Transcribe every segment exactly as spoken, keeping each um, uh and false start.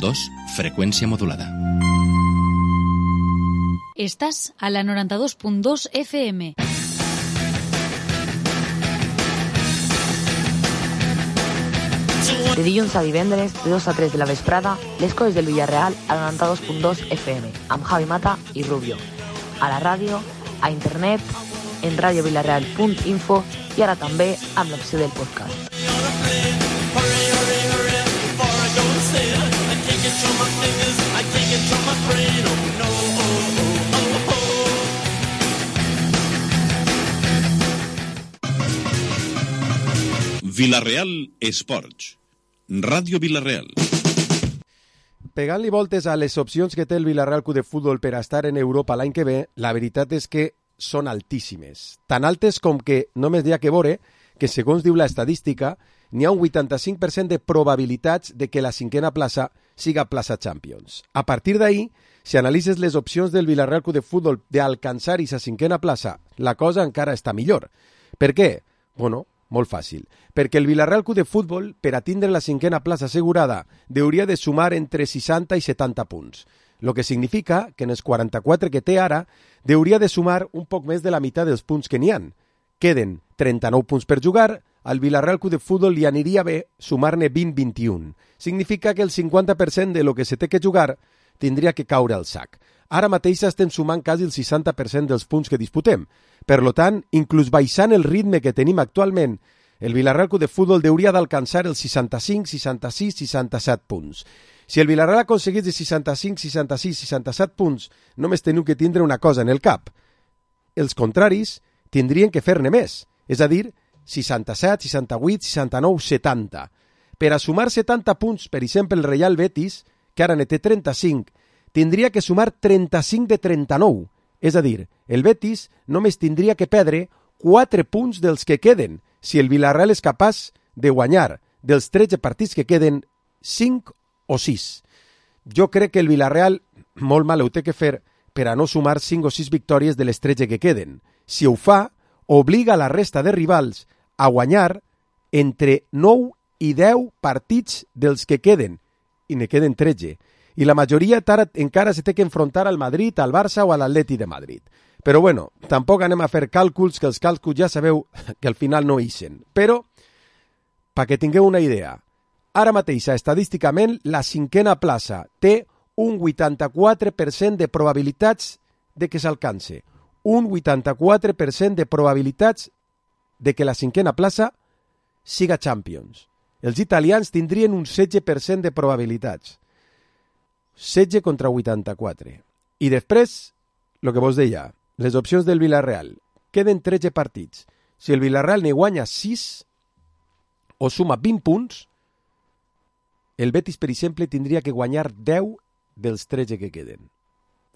dos, freqüència modulada. Estàs a la noranta-dos punt dos F M. De dilluns a divendres, de dos a tres de la vesprada, les coses del Villarreal a la noranta-dos punt dos F M, amb Javi Mata i Rubio. A la ràdio, a internet, en radiovillarreal punt info i ara també amb l'opció del podcast. Villarreal Esports. Ràdio Villarreal. Pegant-li voltes a les opcions que té el Villarreal Club de Futbol per a estar en Europa l'any que ve, la veritat és que són altíssimes. Tan altes com que només hi ha que veure que, segons diu l'estadística, n'hi ha un vuitanta-cinc per cent de probabilitats de que la cinquena plaça siga plaça Champions. A partir d'ahí, si analitzes les opcions del Villarreal Club de Futbol d'alcançar aquesta cinquena plaça, la cosa encara està millor. Per què? Bueno, molt fàcil. Perquè el Villarreal Club de Futbol, per a tindre la cinquena plaça assegurada, hauria de sumar entre seixanta i setanta punts. Lo que significa que en els quaranta-quatre que té ara, hauria de sumar un poc més de la meitat dels punts que n'hi han. Queden trenta-nou punts per jugar, al Villarreal Club de Futbol li aniria bé sumar-ne vint a vint i un. Significa que el cinquanta per cent de lo que se té que jugar tindria que caure al sac. Ara mateix estem sumant quasi el seixanta per cent dels punts que disputem. Per lo tant, inclús baixant el ritme que tenim actualment, el Villarreal Club de Futbol hauria d'alcançar els seixanta-cinc, seixanta-sis, seixanta-set punts. Si el Villarreal aconseguís de seixanta-cinc, seixanta-sis, seixanta-set punts, només teniu que tindre una cosa en el cap. Els contraris tindrien que fer-ne més, és a dir, seixanta-set, seixanta-vuit, seixanta-nou, setanta. Per a sumar setanta punts, per exemple, el Real Betis, que ara ne té trenta-cinc, tindria que sumar trenta-cinc de trenta-nou. És a dir, el Betis només tindria que perdre quatre punts dels que queden, si el Villarreal és capaç de guanyar dels tretze partits que queden cinc o sis. Jo crec que el Villarreal molt mal ho té que fer per a no sumar cinc o sis victòries de les tretze que queden. Si ho fa, obliga la resta de rivals a guanyar entre nou i deu partits dels que queden, i ne queden tretze. I la majoria encara se té que enfrontar al Madrid, al Barça o a l'Atleti de Madrid. Però bueno, tampoc anem a fer càlculs, que els càlculs ja sabeu que al final no ixen. Però, perquè tingueu una idea, ara mateix, estadísticament, la cinquena plaça té un vuitanta-quatre per cent de probabilitats de que s'alcance. Un vuitanta-quatre per cent de probabilitats de que la cinquena plaça siga Champions. Els italians tindrien un setze per cent de probabilitats. setze contra vuitanta-quatre. I després, el que vos deia, les opcions del Villarreal. Queden tretze partits. Si el Villarreal ne guanya sis o suma vint punts, el Betis, per exemple, tindria que guanyar deu dels tretze que queden.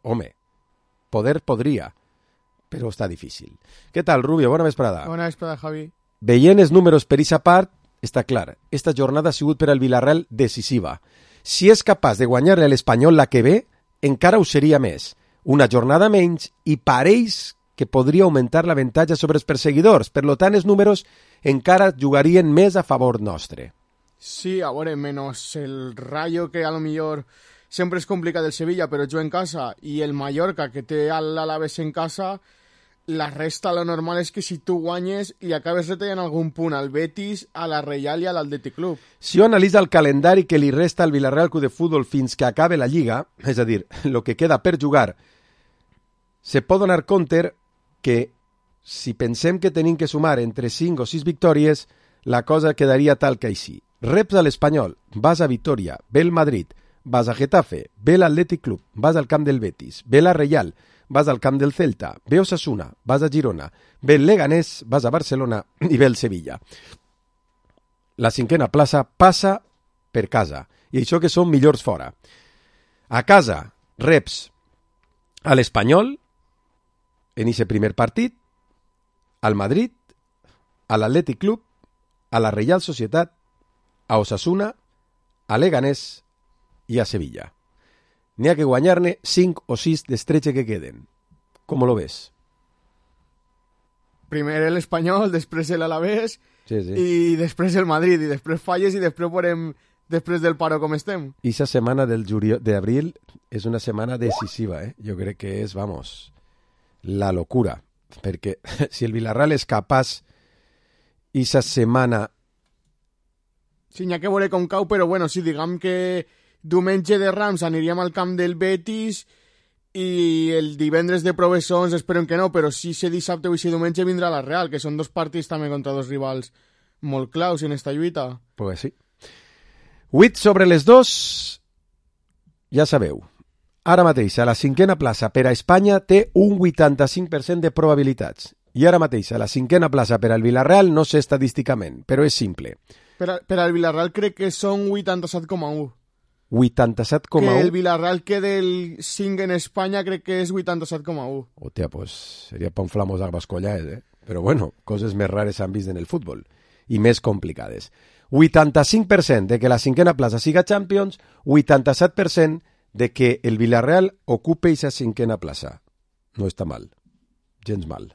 Home, poder podria, però està difícil. Què tal, Rubio? Bona vesprada. Bona vesprada, Javi. Veient els números per aquesta part, està clar, esta jornada ha sigut per al Villarreal decisiva. Si és capaç de guanyar-li a l'Espanyol la que ve, encara ho seria més. Una jornada menys i pareix que podria augmentar l'avantatge sobre els perseguidors. Per tant, els números encara jugarien més a favor nostre. Sí, a veure, menos el Rayo, que a lo millor sempre és complicat del Sevilla, però juga en casa, i el Mallorca, que té l'Alaves en casa, la resta, lo normal és que si tu guanyes i acabes retallant algun punt al Betis, a la Reial i a l'Atlètic Club. Si ho analitza el calendari que li resta al Villarreal Club de Futbol fins que acabe la Lliga, és a dir, el que queda per jugar, se pot donar compte que si pensem que tenim que sumar entre cinc o sis victòries, la cosa quedaria tal que així. Reps a l'Espanyol, vas a Vitoria, ve el Madrid, vas a Getafe, ve l'Atlètic Club, vas al camp del Betis, ve la Reial, vas al camp del Celta, ve Osasuna, vas a Girona, ve el Leganés, vas a Barcelona i ve el Sevilla. La cinquena plaça passa per casa, i això que són millors fora. A casa, reps a l'Espanyol, en aquest primer partit, al Madrid, a l'Atlètic Club, a la Reial Societat, a Osasuna, a Leganés i a Sevilla. N'hi ha que guanyar-ne cinc o sis dels tretze que queden. Com lo ves? Primer l'Espanyol, després l'Alavés, sí, sí. i després el Madrid, i després falles, i després veurem després del paro com estem. I esa setmana del juliol, d'abril és una setmana decisiva, eh? Jo crec que és, vamos, la locura. Perquè si el Villarreal és capaç esa setmana... Sí, n'hi ha que veure com cau, però bueno, si diguem que diumenge de Rams aniríem al camp del Betis i el divendres de Provessons esperem que no, però si se dissabte o si diumenge vindrà la Real, que són dos partits també contra dos rivals molt claus en esta lluita. Pues sí. vuit sobre les dos, ja sabeu. Ara mateix, a la cinquena plaça per a Espanya té un vuitanta-cinc per cent de probabilitats. I ara mateix, a la cinquena plaça per al Villarreal, no sé estadísticament, però és simple. Per, a, per al Villarreal crec que són vuitanta-set coma u. vuitanta-set coma u? Que el Villarreal quede el cinc en Espanya crec que és vuitanta-set coma u. Hòstia, pues seria pa un flamós arbascollaes, eh? Però bueno, coses més rares s'han vist en el futbol i més complicades. vuitanta-cinc per cent de que la cinquena plaça siga Champions, vuitanta-set per cent de que el Villarreal ocupe esa cinquena plaça. No està mal. Gens mal.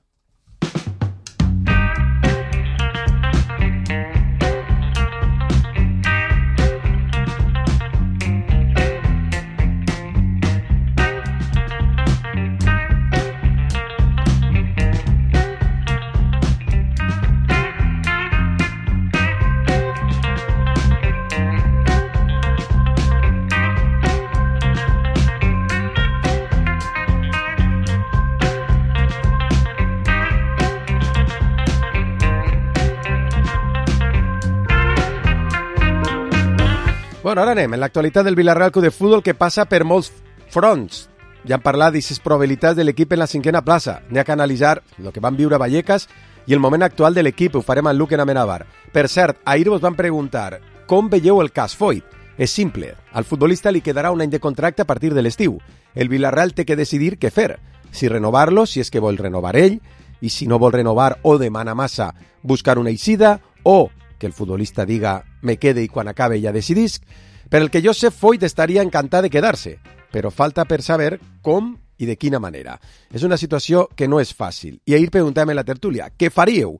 Bueno, ara anem en l'actualitat del Villarreal Club de Futbol, que passa per molts fronts. Ja hem parlat d'aquestes probabilitats de l'equip en la cinquena plaça. N'hi ha que analitzar el que van viure a Vallecas i el moment actual de l'equip. Ho farem amb Luque Amenábar. Per cert, ahir vos van preguntar com veieu el cas Foyt. És simple. Al futbolista li quedarà un any de contracte a partir de l'estiu. El Villarreal té que decidir què fer. Si renovar-lo, si és que vol renovar ell, i si no vol renovar o demana massa, buscar una eixida, o que el futbolista diga me quede i quan acabe ja decidisc. Per el que jo sé, Foyt estaria encantat de quedar-se, però falta per saber com i de quina manera. És una situació que no és fàcil. I ahir preguntàvem a la tertúlia, què faríeu?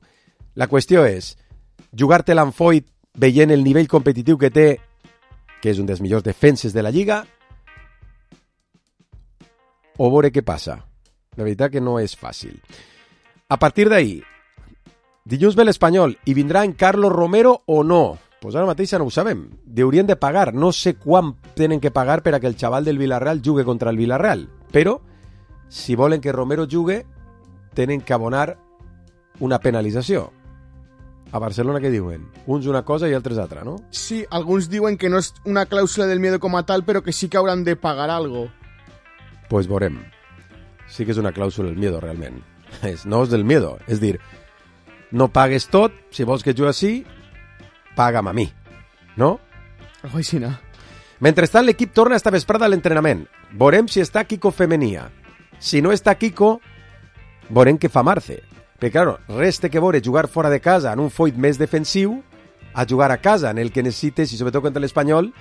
La qüestió és, jugar-te-la amb Foyt veient el nivell competitiu que té, que és un dels millors defenses de la Lliga, o veure què passa. La veritat que no és fàcil. A partir d'ahir, dilluns ve l'Espanyol i vindrà en Carlos Romero o no? Pues ara mateix no ho sabem. Deurien de pagar. No sé quan tenen que pagar per a que el xaval del Villarreal jugue contra el Villarreal. Però, si volen que Romero jugue, tenen que abonar una penalització. A Barcelona què diuen? Uns una cosa i altres altra, no? Sí, alguns diuen que no és una clàusula del miedo com a tal, però que sí que hauran de pagar algo. Pues veurem. Sí que és una clàusula del miedo, realment. És, no és del miedo. És dir, no pagues tot, si vols que jugui així, paga'm a mi, no? Algo així, no? Mentrestant, l'equip torna esta vesprada a l'entrenament. Veurem si està Kiko Femenia. Si no està Kiko, veurem què fa Marce. Perquè, claro, res té que veure jugar fora de casa en un Foyt més defensiu a jugar a casa, en el que necessites, i sobretot contra l'Espanyol,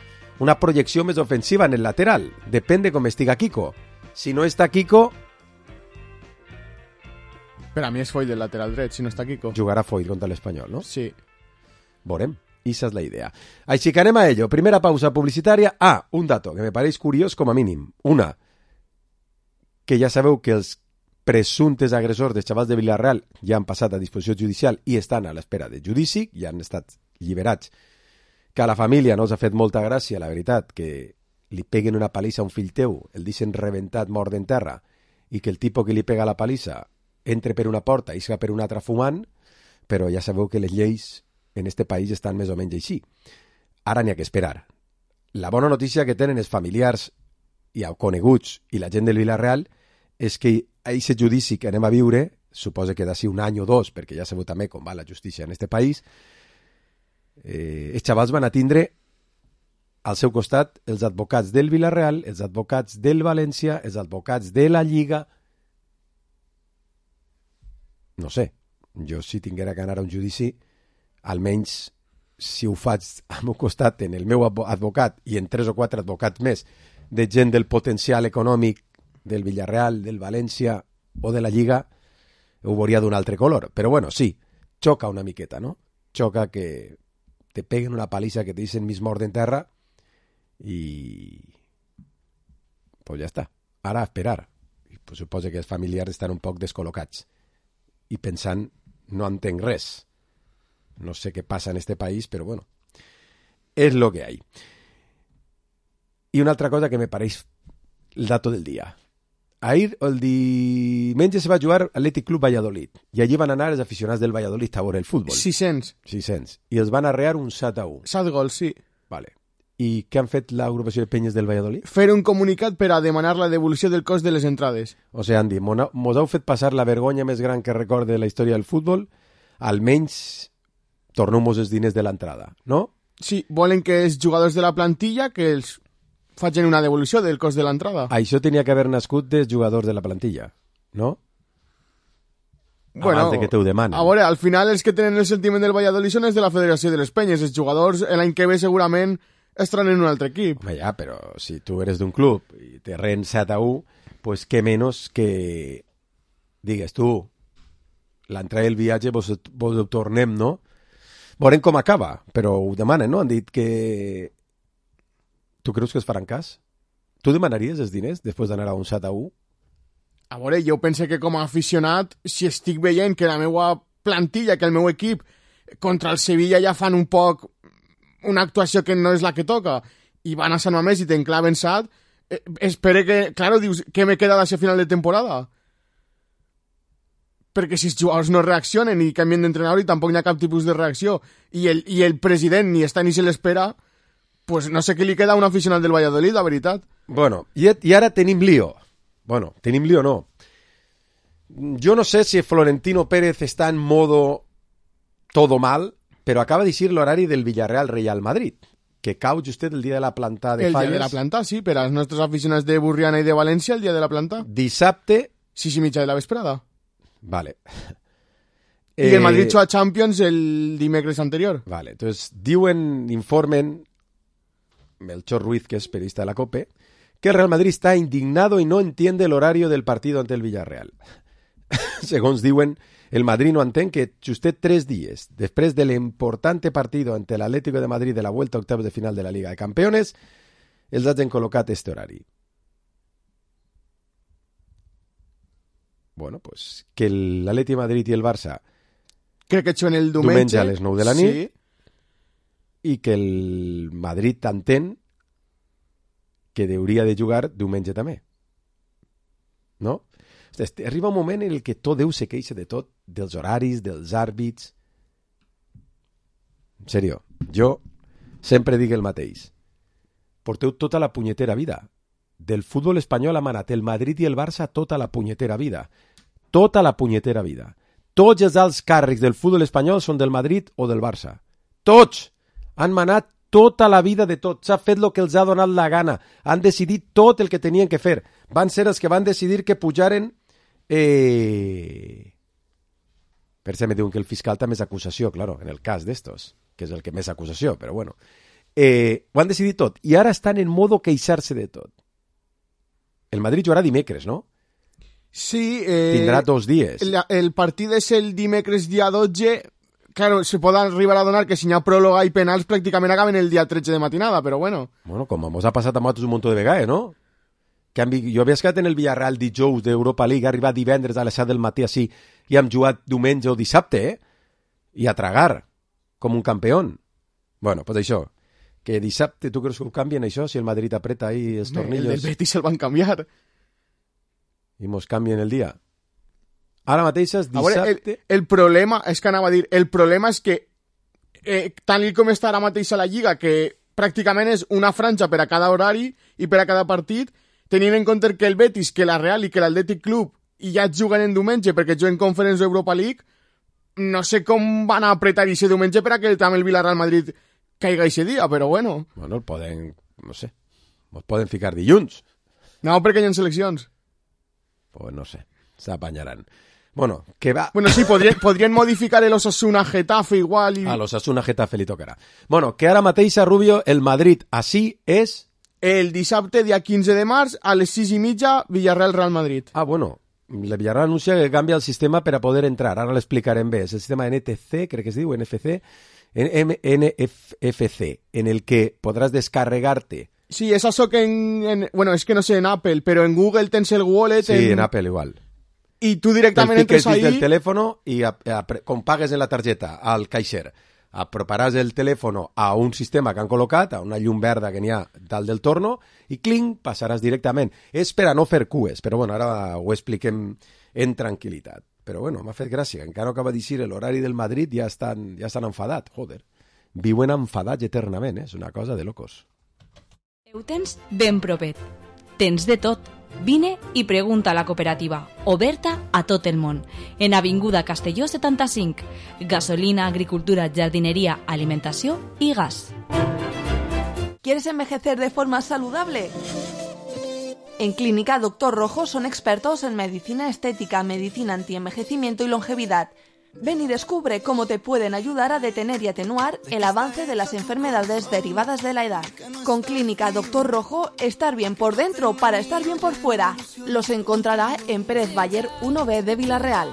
una projecció més ofensiva en el lateral. Depèn de com estiga Kiko. Si no està Kiko... Per a mi és Foyt del lateral dret, si no està Kiko. Jugarà Foyt contra l'Espanyol, no? Sí. Veurem. Esa és la idea. Així que anem a ello. Primera pausa publicitària. Ah, un dato que me pareix curiós com a mínim. Una, que ja sabeu que els presumptes agressors dels xavals de Villarreal ja han passat a disposició judicial i estan a l'espera de judici, ja han estat lliberats. Que a la família no els ha fet molta gràcia, la veritat, que li peguen una palissa a un fill teu, el deixen rebentat mort en terra, i que el tipus que li pega la palissa entre per una porta i isca per una altra fumant, però ja sabeu que les lleis en este país estan més o menys així. Ara n'hi ha que esperar. La bona notícia que tenen els familiars i coneguts i la gent del Villarreal és que aquest judici que anem a viure, suposa que d'ací un any o dos, perquè ja sabeu també com va la justícia en este país, eh, els xavals van a tindre al seu costat els advocats del Villarreal, els advocats del València, els advocats de la Lliga. No sé, jo si tinguera que anar a un judici, almenys si ho faig al meu costat en el meu advocat i en tres o quatre advocats més de gent del potencial econòmic del Villarreal, del València o de la Lliga, ho veuria d'un altre color. Però bueno, sí, xoca una miqueta, no? Xoca que te peguen una paliza que te dicen mis mort en terra i pues ja està. Ara a esperar. I pues, suposo que els familiars estan un poc descol·locats i pensant, no entenc res. No sé què passa en este país, però bueno, és lo que hay. I una altra cosa que me pareix el dato del dia. Ahir, el diumenge, se va jugar Athletic Club Valladolid i allí van anar els aficionats del Valladolid a veure el futbol. sis-cents. sis-cents. I els van arrear un set a u. set gols, sí. Vale. I què han fet l'agrupació de penyes del Valladolid? Fer un comunicat per a demanar la devolució del cost de les entrades. O sigui, han dit, mos heu fet passar la vergonya més gran que recorde la història del futbol, almenys torneu-mos els diners de l'entrada, no? Sí, volen que els jugadors de la plantilla que els facin una devolució del cost de l'entrada. Això tenia que haver nascut dels jugadors de la plantilla, no? Bueno, abans de que te ho demanen. A veure, al final els que tenen el sentiment del Valladolid són els de la Federació de les Penyes. Els jugadors l'any que ve segurament estaran en un altre equip. Home, ja, però si tu eres d'un club i te rent set a u, pues què menys que digues tu, l'entrada del viatge vos, vos ho tornem, no? Veurem com acaba, però ho demanen, no? Han dit que... Tu creus que es faran cas? Tu demanaries els diners després d'anar a un set a u? A veure, jo penso que com a aficionat, si estic veient que la meva plantilla, que el meu equip, contra el Sevilla ja fan un poc una actuació que no és la que toca, i van a Sant Mamés i t'enclaven set, eh, espere que... Claro, dius, què me queda d'això final de temporada? Perquè si els jugadors no reaccionen i canvien d'entrenador i tampoc hi ha cap tipus de reacció, i el, i el president ni està ni se l'espera, pues no sé què li queda a un aficionat del Valladolid, la veritat. Bueno, i, i ara tenim lío. Bueno, tenim lío no. Jo no sé si Florentino Pérez està en modo todo mal, però acaba de dir l'horari del Villarreal-Real Madrid, que cau justet el dia de la planta de el Falles. El dia de la planta, sí, per als nostres aficionats de Burriana i de València, el dia de la planta. Dissabte... Sis i mitja de la vesprada. Vale. I eh... el Madrid juga a Champions el dimecres anterior. Vale, entonces diuen, informen, Melchor Ruiz, que es periodista de la COPE, que el Real Madrid está indignado y no entiende el horario del partido ante el Villarreal. Segons diuen, el Madrid no entén que justet tres dies després de l'importante partido ante el Atlético de Madrid de la vuelta a octavos de final de la Liga de Campeones, els hagin col·locat este horari. Bueno, pues que l'Atleti de Madrid i el Barça crec que juguen el diumenge, diumenge a les nou de la nit, sí. I que el Madrid entén que hauria de jugar diumenge també. No? Arriba un moment en el que tot Déu se queixa de tot, dels horaris, dels àrbits. En sèrio, jo sempre dic el mateix. Porteu tota la punyetera vida. Del futbol espanyol ha manat el Madrid i el Barça tota la punyetera vida. Tota la punyetera vida. Tots els alts càrrecs del futbol espanyol són del Madrid o del Barça. Tots han manat tota la vida de tot. S'ha fet el que els ha donat la gana. Han decidit tot el que tenien que fer. Van ser els que van decidir que pujaren... Eh... Per això me diuen que el fiscal també és acusació, claro, en el cas d'estos, que és el que més acusació, però bueno. Eh, ho han decidit tot. I ara estan en modo queixar-se de tot. El Madrid jugarà dimecres, no? Sí. Eh, Tindrà dos dies. El, el partit és el dimecres dia dotze. Claro, se pot arribar a donar que si hi ha pròloga i penals pràcticament acaben el dia tretze de matinada, però bueno. Bueno, com ens ha passat a nosaltres un munt de vegades, no? Que han, jo havia escat en el Villarreal dijous d'Europa League, ha arribat divendres a les set del matí així, i hem jugat diumenge o dissabte, eh? I a tragar, com un campió. Bueno, pues això, que dissabte, tu creus que ho canvien això, si el Madrid apreta ahí els tornillos? El del Betis el van canviar. I mos canvien el dia. Ara mateix és dissabte... Veure, el, el problema, és que anava a dir, el problema és que eh, tant com està ara mateix a la Lliga, que pràcticament és una franja per a cada horari i per a cada partit, tenint en compte que el Betis, que la Real i que l'Atlètic Club i ja juguen en diumenge perquè juguen Conference Europa League, no sé com van a apretar aquest diumenge per a que també el Villarreal Madrid caiga aquest dia, però bueno. Bueno, el poden, no sé, els poden ficar dilluns. No, perquè hi ha seleccions. Pues no sé, s'apanyaran. Bueno, que va... Bueno, sí, podrien, podrien modificar el Osasuna Getafe igual. I... A l'Osasuna Getafe li tocarà. Bueno, que ara mateix a Rubio, el Madrid així és... El dissabte, dia quinze de març, a les sis i mitja, Villarreal-Real Madrid. Ah, bueno, la Villarreal anuncia que canvia el sistema per a poder entrar. Ara l'explicarem bé. És el sistema N T C, crec que es diu, N F C, N F C, en el que podrás descarregarte. Sí, es eso que en, en... Bueno, es que no sé en Apple, pero en Google tens el wallet... Sí, en, en Apple igual. I tu directament entres ahí... del teléfono y a, a, com pagues en la targeta al caixer, aproparàs el telèfon a un sistema que han col·locat, a una llum verda que n'hi ha dalt del torno, i clinc, passaràs directament. És per a no fer cues, però bueno, ara ho expliquem en tranquil·litat. Però bueno, m'ha fet gràcia, encara no acaba d'eixir l'horari del Madrid, ja estan, ja estan enfadats, joder. Viuen enfadats eternament, eh? És una cosa de locos. Ho tens ben propet. Tens de tot. Vine i pregunta a la cooperativa, oberta a tot el món, en Avinguda Castelló setanta-cinc. Gasolina, agricultura, jardinería, alimentació i gas. ¿Quieres envejecer de forma saludable? En Clínica Doctor Rojo son expertos en medicina estética, medicina antienvejecimiento y longevidad. Ven y descubre cómo te pueden ayudar a detener y atenuar el avance de las enfermedades derivadas de la edad. Con Clínica Doctor Rojo, estar bien por dentro para estar bien por fuera. Los encontrarà en Pérez Bayer uno B de Vila-real.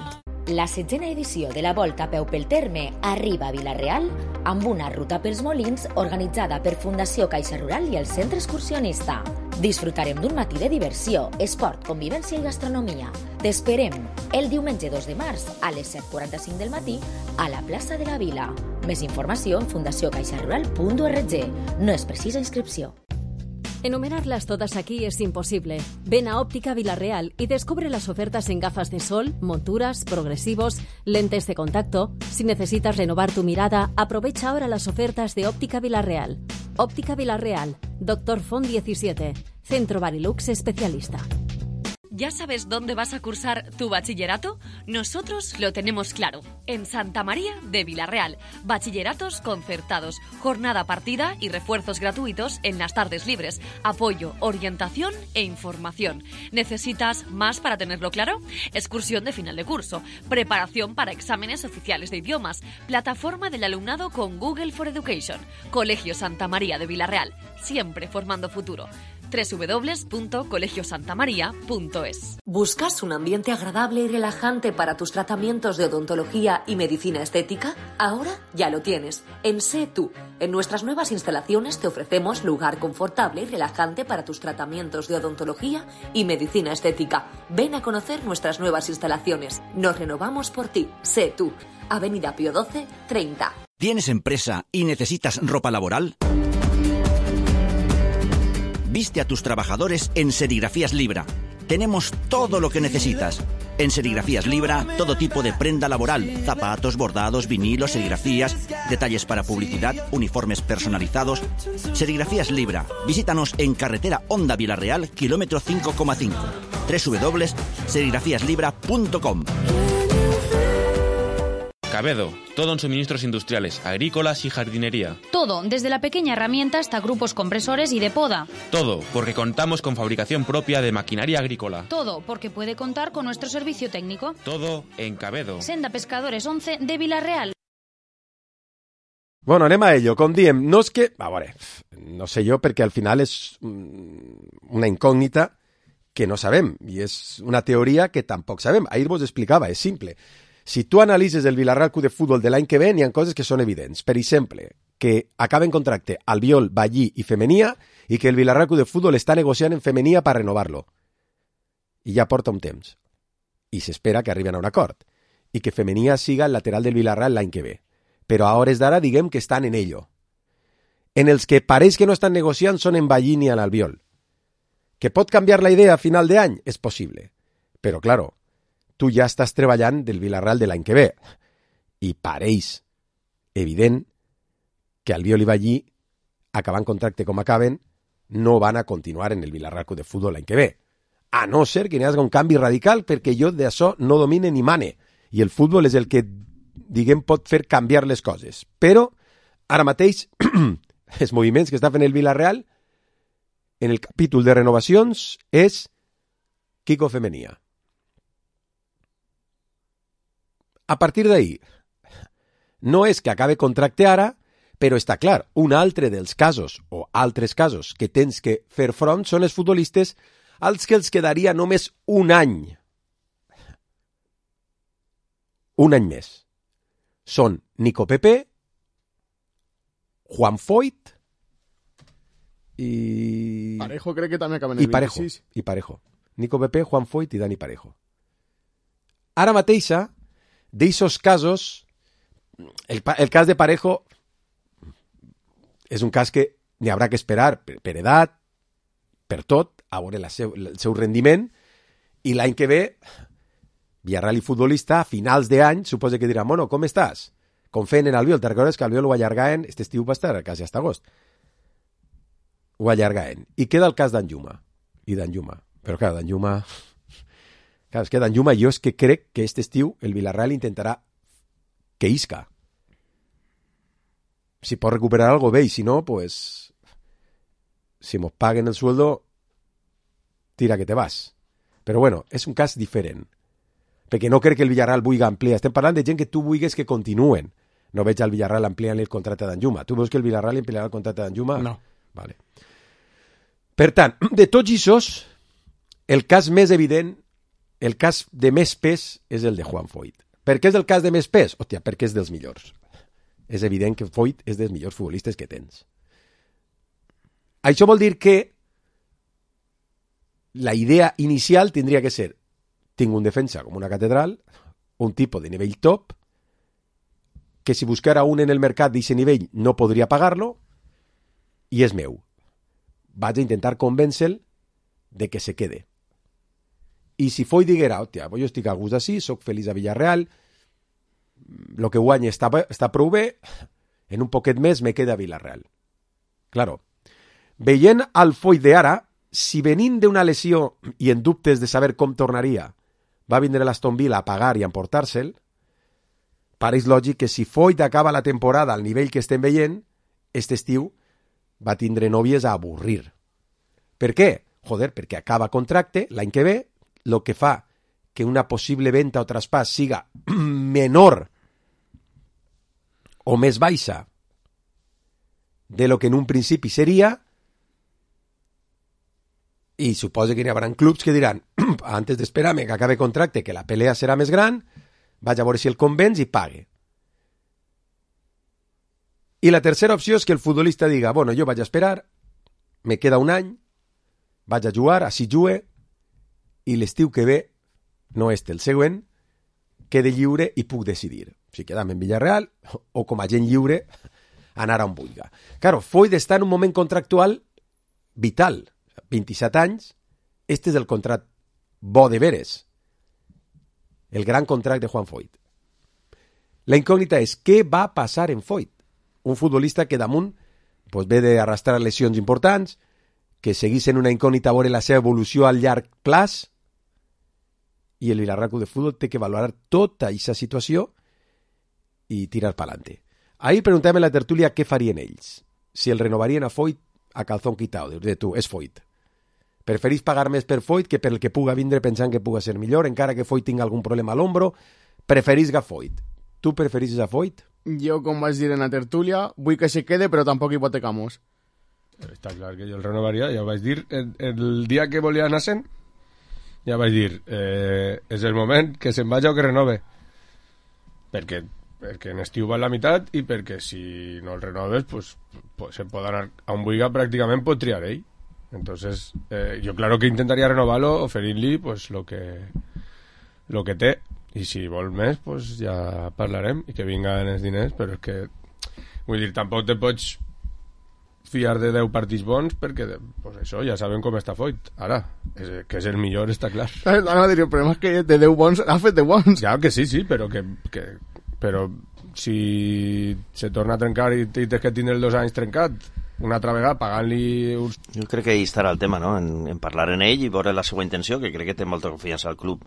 La setzena edició de la Volta a peu pel Terme arriba a Vila-real amb una ruta pels Molins organitzada per Fundació Caixa Rural i el Centre Excursionista. Disfrutarem d'un matí de diversió, esport, convivència i gastronomia. T'esperem el diumenge dos de març a les set quaranta-cinc del matí a la plaça de la Vila. Més informació en fundació caixa rural punt org. No es precisa inscripció. Enumerarlas todas aquí es imposible. Ven a Óptica Vila-real y descubre las ofertas en gafas de sol, monturas, progresivos, lentes de contacto. Si necesitas renovar tu mirada, aprovecha ahora las ofertas de Óptica Vila-real. Óptica Vila-real, Doctor Font diecisiete, Centro Barilux Especialista. ¿Ya sabes dónde vas a cursar tu bachillerato? Nosotros lo tenemos claro. En Santa María de Vila-real. Bachilleratos concertados, jornada partida y refuerzos gratuitos en las tardes libres. Apoyo, orientación e información. ¿Necesitas más para tenerlo claro? Excursión de final de curso. Preparación para exámenes oficiales de idiomas. Plataforma del alumnado con Google for Education. Colegio Santa María de Vila-real. Siempre formando futuro. doble u doble u doble u punto colegio santa maría punto es. ¿Buscas un ambiente agradable y relajante para tus tratamientos de odontología y medicina estética? Ahora ya lo tienes. En Sé Tú. En nuestras nuevas instalaciones te ofrecemos lugar confortable y relajante para tus tratamientos de odontología y medicina estética. Ven a conocer nuestras nuevas instalaciones. Nos renovamos por ti. Sé Tú. Avenida Pío doce, treinta. ¿Tienes empresa y necesitas ropa laboral? Viste a tus trabajadores en Serigrafías Libra. Tenemos todo lo que necesitas. En Serigrafías Libra, todo tipo de prenda laboral, zapatos, bordados, vinilos, serigrafías, detalles para publicidad, uniformes personalizados. Serigrafías Libra. Visítanos en carretera Honda Vila-real, kilómetro cinco coma cinco. doble u doble u doble u punto serigrafías libra punto com. Cabedo, todo en suministros industriales, agrícolas y jardinería. Todo, desde la pequeña herramienta hasta grupos compresores y de poda. Todo, porque contamos con fabricación propia de maquinaria agrícola. Todo, porque puede contar con nuestro servicio técnico. Todo en Cabedo. Senda Pescadores once de Vila-real. Bueno, anem a ello. Com diem, no és que... A veure, no sé jo, perquè al final és una incògnita que no sabem, i és una teoria que tampoc sabem. Ahir vos explicava, és simple. Si tu analitzes el Vila-real Club de Futbol de l'any que ve, n'hi ha coses que són evidents. Per exemple, que acaben contracte Albiol, Ballí i Femenia i que el Vila-real Club de Futbol està negociant en Femenia per renovar-lo. I ja porta un temps. I s'espera que arriben a un acord. I que Femenia siga el lateral del Vila-real l'any que ve. Però a hores d'ara diguem que estan en ello. En els que pareix que no estan negociant són en Ballí ni en Albiol. Que pot canviar la idea a final d'any? És possible. Però, claro, tu ja estàs treballant del Vila-real de l'any que ve. I pareix evident que Albiol i Ballí, acabant contracte com acaben, no van a continuar en el Vila-real Club de Futbol l'any que ve. A no ser que n'hi hagi un canvi radical, perquè jo d'això no domine ni mane. I el futbol és el que, diguem, pot fer canviar les coses. Però, ara mateix, els moviments que està fent el Vila-real en el capítol de renovacions és Kiko Femenia. A partir d'ahí, no és que acabe contracte ara, però està clar, un altre dels casos, o altres casos, que tens que fer front són els futbolistes als que els quedaria només un any. Un any més. Són Nico Pepe Juan Foyt i... Parejo crec que també acaben el I Parejo, vint-i-sis. i Parejo. Nico Pepe, Juan Foyt i Dani Parejo. Ara mateixa, d'eixos casos, el, el cas de Parejo és un cas que n'hi haurà que esperar per, per edat, per tot, a veure la seu, el seu rendiment, i l'any que ve, Villarreal i futbolista, a finals d'any, suposa que dirà, bueno, com estàs? Confien en Albiol, te recordes que Albiol ho allargaven, este estiu va estar quasi hasta agost. Ho allargaven. I queda el cas d'Anjuma. I d'Anjuma. Però clar, d'Anjuma... Clar, és que d'Anjuma jo és que crec que este estiu el Villarreal intentarà que isca. Si pot recuperar algo bé, i si no, pues... Si mos paguen el sueldo, tira que te vas. Però bueno, és un cas diferent. Perquè no crec que el Villarreal vulgui ampliar. Estem parlant de gent que tu vulguis que continuen. No veig al Villarreal ampliant el contracte d'Anjuma. Tu veus que el Villarreal ampliarà el contracte d'Anjuma? No. Vale. Per tant, de tots aquests, el cas més evident, el cas de més pes és el de Juan Foyt. Per què és el cas de més pes? Hòstia, perquè és dels millors. És evident que Foyt és dels millors futbolistes que tens. Això vol dir que la idea inicial tindria que ser: tinc un defensa com una catedral, un tipus de nivell top, que si buscara un en el mercat d'aquest nivell no podria pagar-lo, i és meu. Vaig a intentar convèncer-lo de que se quede. I si Foyt diguera, hòstia, jo estic a gust d'ací, soc feliç a Villarreal, el que guany està, està prou bé, en un poquet més me queda a Villarreal. Claro, veient el Foyt d'ara, si venint d'una lesió i en dubtes de saber com tornaria, va vindre l'Aston Villa a pagar i a emportar-se'l, pareix lògic que si Foyt acaba la temporada al nivell que estem veient, aquest estiu va tindre nòvies a avorrir. Per què? Joder, perquè acaba contracte l'any que ve, el que fa que una possible venda o traspàs siga menor o més baixa de lo que en un principi seria, i suposa que hi haurà clubs que diran, antes d'esperar-me que acabe contracte, que la pelea serà més gran, vaig a veure si el convenç i pague. I la tercera opció és que el futbolista diga, bueno, jo vaig a esperar, me queda un any, vaig a jugar, així jugue, i l'estiu que ve, no este, el següent, quede lliure i puc decidir si quedam en Villarreal o com a gent lliure anar on vulgui. Claro, Foyt està en un moment contractual vital, vint-i-set anys, este és el contracte bo de veres, el gran contracte de Juan Foyt. La incògnita és què va passar en Foyt, un futbolista que damunt pues, ve d'arrastrar lesions importants, que seguís en una incògnita a veure la seva evolució al llarg plaç, i el Villarreal Club de Futbol té que valorar tota aquesta situació i tirar pa'lante. Ahir preguntàvem a la tertúlia què farien ells, si el renovarien a Foyt a calzón quitado, de tu, és Foyt. Preferís pagar més per Foyt que per el que puga vindre pensant que puga ser millor, encara que Foyt tingui algun problema a l'ombro, preferís a Foyt. Tu preferís a Foyt? Jo, com vaig dir en la tertúlia, vull que se quede, però tampoc hipotecamos. Està clar que jo el renovaria, ja ho vaig dir el, el dia que volia anar sent, ja vaig dir, eh, és el moment que se'n vagi o que renove. Perquè, perquè en estiu va la meitat i perquè si no el renoves, pues, pues se'n pot anar a un buiga, pràcticament pot triar ell. Entonces, eh, jo claro que intentaria renovar-lo, oferint-li pues, lo que, lo que té. I si vol més, pues ja parlarem i que vinguen els diners, però és que, vull dir, tampoc te pots fiar de deu partits bons perquè, pues això, ja sabem com està Foyt. Ara, és, que és el millor, està clar. No, no, el problema és que de deu bons ha fet de bons. Ja, que sí, sí, però que, que però si se torna a trencar i, i tens que tindre els dos anys trencat una altra vegada pagant-li uns... Jo crec que ahí estarà el tema, no? En, en parlar en ell i veure la seva intenció, que crec que té molta confiança al club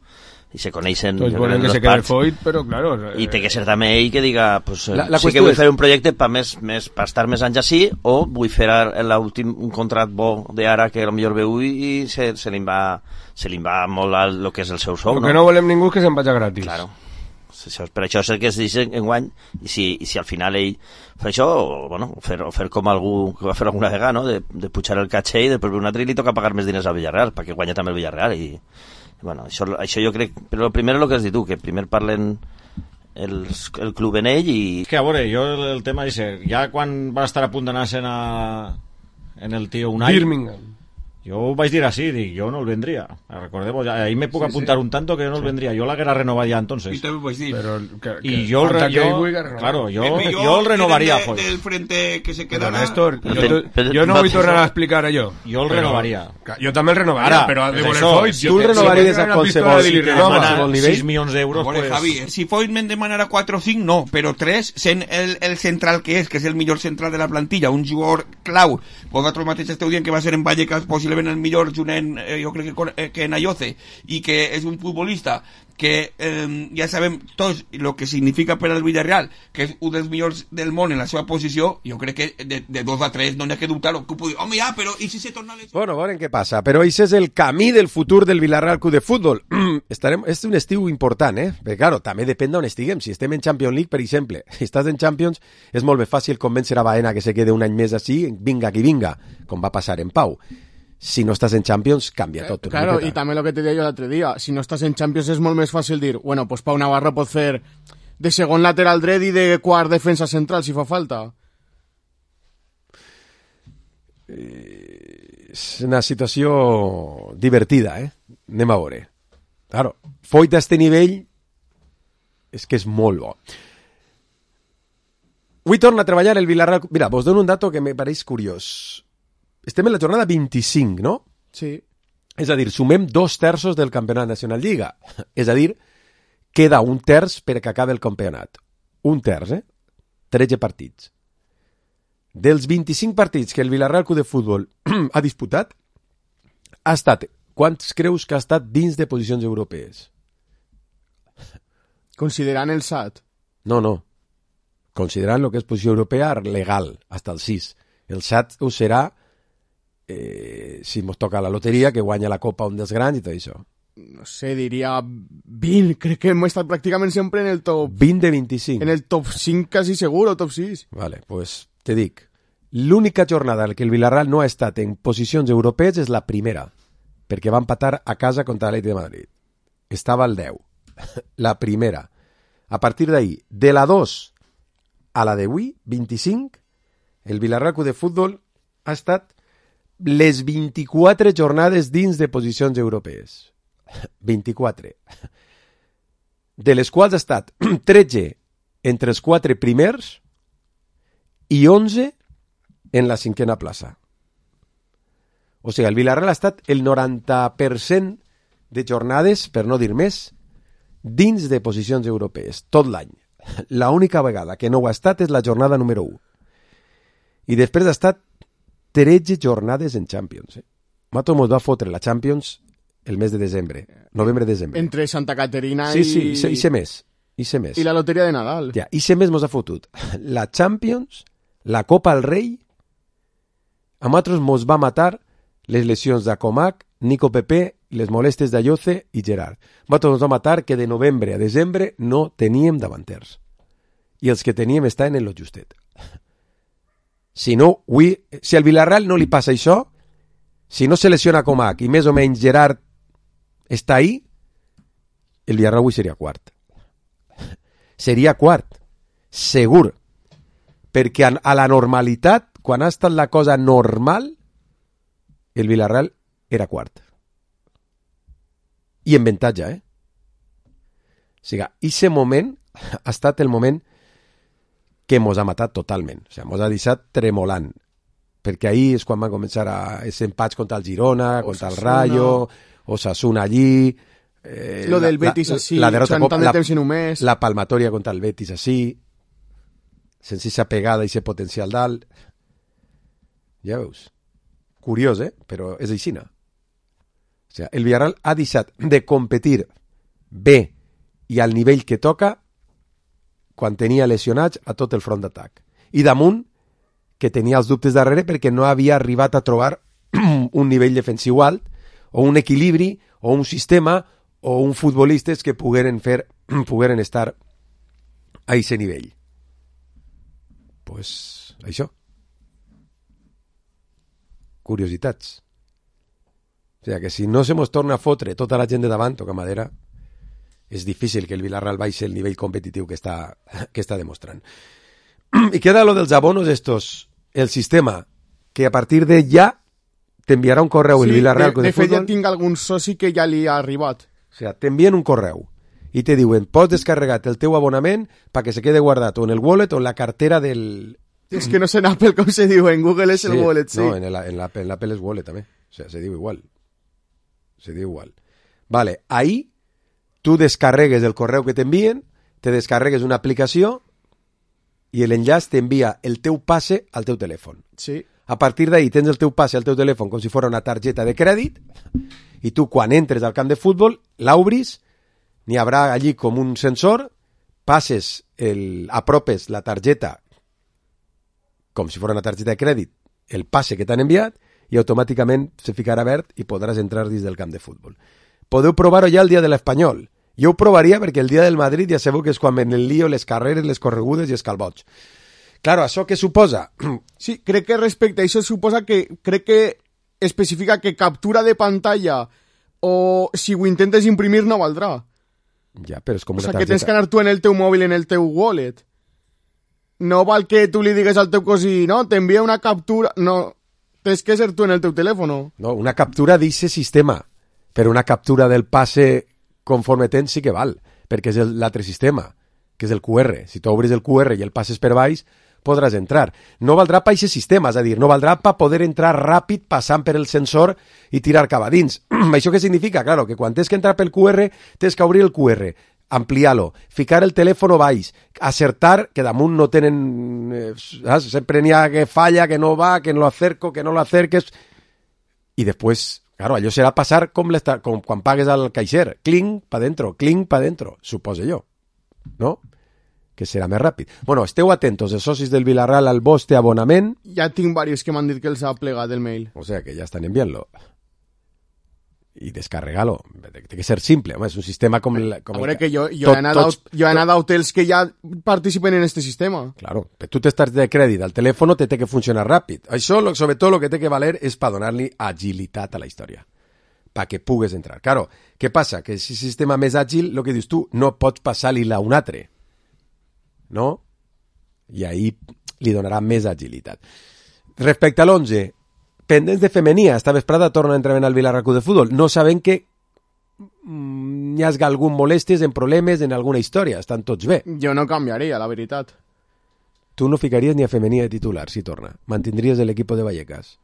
i se coneixen... Tots volen que se quede Foyt, però claro... I té que ser també ell que diga pues, la, la sí que vull és... fer un projecte per més, més, pa estar més anys així, o vull fer l'últim un contract bo d'ara que potser veu i se, se li va se li va molt el que és el seu sou, el no? que no volem ningú és que se'n vagi gratis. Claro. Per això és el que es dice en guany, i si, i si al final ell fa això, o, bueno, o fer, o fer com algú que va fer alguna vegada, no? de, de pujar el caché i després un altre i li toca pagar més diners al Villarreal perquè guanya també el Villarreal i, bueno, això, això jo crec, però el primer és el que has dit tu, que primer parlen el, el club en ell i... És que a veure, jo el, el tema és ja quan va estar a punt d'anar-se'n a... en el tio Unai Birmingham. Jo ho vaig dir així, dic, jo no el vendria. Recordemos, ahí me puc sí, apuntar sí. un tanto que yo no el vendría. Yo la guerra renovaría entonces. Y también pues sí. Pero que, que, y yo, el, yo claro, yo, yo, yo el renovaría. De, del frente que se quedará. Néstor, yo, yo, yo, yo no voy a tornar a explicar a yo. Yo el pero, renovaría. Yo también el renovaría, pero de Foyt. Si tú el renovarías a qualsevol nivell. seis milions d'euros. Pues... Javi, si Foyt me demanara cuatro o cinco, no, pero tres, sent el, el central que és, que és el millor central de la plantilla, un jugador clau, vosaltres mateix esteu dient que va ser en Vallecas possiblement el millor jugador Eh, jo crec que, eh, que Nayoce i que és un futbolista que eh, ja sabem tots el que significa per al Villarreal, que és un dels millors del món en la seva posició, jo crec que de, de dos a tres no n'hi ha que dubtar-ho. Home, ja, però i si se torna... Les... Bueno, veurem què passa, però això és el camí del futur del Villarreal Club de Futbol. Estarem... És un estiu important, eh? Perquè, claro, també depèn d'on estiguem. Si estem en Champions League, per exemple, si estàs en Champions, és molt més fàcil convèncer a Baena que se quede un any més així, vinga qui vinga, com va passar en Pau. Si no estás en Champions, cambia todo. Claro, y también lo que te decía yo el otro día, si no estás en Champions es molt més fàcil dir, bueno, pues Pau Navarro pot fer de segon lateral dret i de quart defensa central, si fa falta. Eh, és una situació divertida, eh? Anem a veure. Claro, Foyt a este nivell és que és molt bo. Avui torna a treballar el Villarreal... Mira, vos dono un dato que me pareix curiós. Estem en la jornada vint-i-cinc, no? Sí. És a dir, sumem dos terços del campionat nacional Lliga. És a dir, queda un terç per que acabi el campionat. Un terç, eh? tretze partits. Dels vint-i-cinc partits que el Villarreal Club de Futbol ha disputat, ha estat... Quants creus que ha estat dins de posicions europees? Considerant el S A T? No, no. Considerant el que és posició europea legal, hasta el sis. El S A T ho serà Eh, si mos toca la loteria, que guanya la Copa un dels grans i tot això. No sé, diria vint, crec que hem estat pràcticament sempre en el top... vint de vint-i-cinc. En el top cinc quasi seguro, top sis. Vale, pues te dic, l'única jornada en què el Villarreal no ha estat en posicions europees és la primera, perquè va empatar a casa contra l'Atlètic de Madrid. Estava al deu. La primera. A partir d'ahí, de la dos a la d'avui, vint-i-cinc, el Villarreal Club de Futbol ha estat les vint-i-quatre jornades dins de posicions europees. vint-i-quatre. De les quals ha estat tretze entre els quatre primers i onze en la cinquena plaça. O sigui, el Villarreal ha estat el noranta per cent de jornades, per no dir més, dins de posicions europees, tot l'any. L'única vegada que no ho ha estat és la jornada número u. I després ha estat tretze jornades en Champions. Eh? Mato mos va fotre la Champions el mes de desembre, novembre-desembre. Entre Santa Caterina sí, i... Sí, sí, i sé més. I sé més. I la loteria de Nadal. Ja, i sé més mos ha fotut. La Champions, la Copa al Rei, a nosaltres mos va matar les lesions d'Acomac, Nico Pepe, les molestes d'Ayoce i Gerard. A nosaltres mos va matar que de novembre a desembre no teníem davanters. I els que teníem estaven en lo justet. Si no, avui, si al Villarreal no li passa això, si no se lesiona Comac i més o menys Gerard està ahí, el Villarreal avui seria quart. Seria quart, segur. Perquè a la normalitat, quan ha estat la cosa normal, el Villarreal era quart. I en avantatge, eh? O sigui, aquest moment ha estat el moment que mos ha matat totalment. O sigui, mos ha deixat tremolant. Perquè ahir és quan van començar a els empats contra el Girona, contra el Rayo, Osasuna allí... Eh, Lo del Betis així, la, la derrota, tant de temps i només... La palmatòria contra el Betis així, sense aquesta pegada i aquest potencial dalt. Ja veus. Curiós, eh? Però és aixina. O sigui, el Villarreal ha deixat de competir bé i al nivell que toca quan tenia lesionats a tot el front d'atac. I damunt, que tenia els dubtes darrere perquè no havia arribat a trobar un nivell defensiu alt, o un equilibri, o un sistema, o un futbolistes que pogueren fer, pogueren estar a aquest nivell. Pues, això. Curiositats. O sigui, que si no se mos torna a fotre tota la gent de davant, o Camadera, és difícil que el Villarreal baixi el nivell competitiu que està, que està demostrant. I queda lo dels abonos estos, el sistema, que a partir de ja t'enviarà un correu el Sí, Villarreal de, de, de fet Futbol. ja tinc algun soci que ja li ha arribat. O sigui, t'envien un correu i te diuen, pots descarregar el teu abonament perquè se quede guardat o en el wallet o en la cartera del... És que no sé en Apple com se diu, en Google és el wallet, sí. No, en el- en l'Apple, en l'Apple és wallet també. O sea, se diu igual. Se diu igual. Vale, ahí tu descarregues el correu que t'envien, te descarregues una aplicació i l'enllaç t'envia el teu passe al teu telèfon. Sí. A partir d'ahí tens el teu passe al teu telèfon com si fos una targeta de crèdit i tu quan entres al camp de futbol l'obris, n'hi haurà allí com un sensor, passes, el, apropes la targeta com si fos una targeta de crèdit, el passe que t'han enviat i automàticament se ficarà verd i podràs entrar dins del camp de futbol. Podeu provar-ho ja el dia de l'Espanyol. Jo ho provaria perquè el dia del Madrid ja sabeu que és quan ven el lío, les carreres, les corregudes i els calbots. Claro, això què suposa? Sí, crec que respecte a això suposa que crec que especifica que captura de pantalla o si ho intentes imprimir no valdrà. Ja, però és com O una sigui, que targeta. tens que anar tu en el teu mòbil, en el teu wallet. No val que tu li digues al teu cosí, no, t'envia una captura... No, tens que ser tu en el teu telèfon. No, una captura d'aquest sistema, però una captura del passe conforme tens sí que val, perquè és el- l'altre sistema, que és el Q R. Si tu obres el Q R i el passes per baix, podràs entrar. No valdrà per aquest sistema, és a dir, no valdrà per poder entrar ràpid passant per el sensor i tirar cap a dins. Això què significa? Claro, que quan tens que entrar pel Q R, tens que obrir el Q R, ampliar-lo, ficar el telèfon baix, acertar, que damunt no tenen... Eh, saps? Sempre n'hi ha que falla, que no va, que no lo acerco, que no lo acerques... I després, claro, allò serà passar com, com quan pagues al caixer. Clinc, pa dentro, clinc, pa dentro, suposo jo. No? Que serà més ràpid. Bueno, esteu atentos, els socis del Villarreal, al vostre abonament. Ja tinc diversos que m'han dit que els ha plegat el mail. O sea, que ja estan enviant-lo. I descarregar-lo. Té que ser simple, home, és un sistema com... El, com A veure, el, que jo, jo, tot- he anat tots- a, jo he anat a hotels que ja participen en este sistema. Claro, però tu t'estàs de crèdit al telèfon, te té que funcionar ràpid. Això, lo- sobretot, el que té que valer és per donar-li agilitat a la història, perquè pugues entrar. Claro, què passa? Que si sistema més àgil, el que dius tu, no pots passar-li-la a un altre, no? I ahí li donarà més agilitat. Respecte a l'onze, pendents de femenia, esta vesprada torna a entrenar al Villarreal de Futbol. No sabem que mm, hi hagi algun molèsties, en problemes, en alguna història. Estan tots bé. Jo no canviaria, la veritat. Tu no ficaries ni a femenia de titular, si torna. Mantindries l'equip de Vallecas.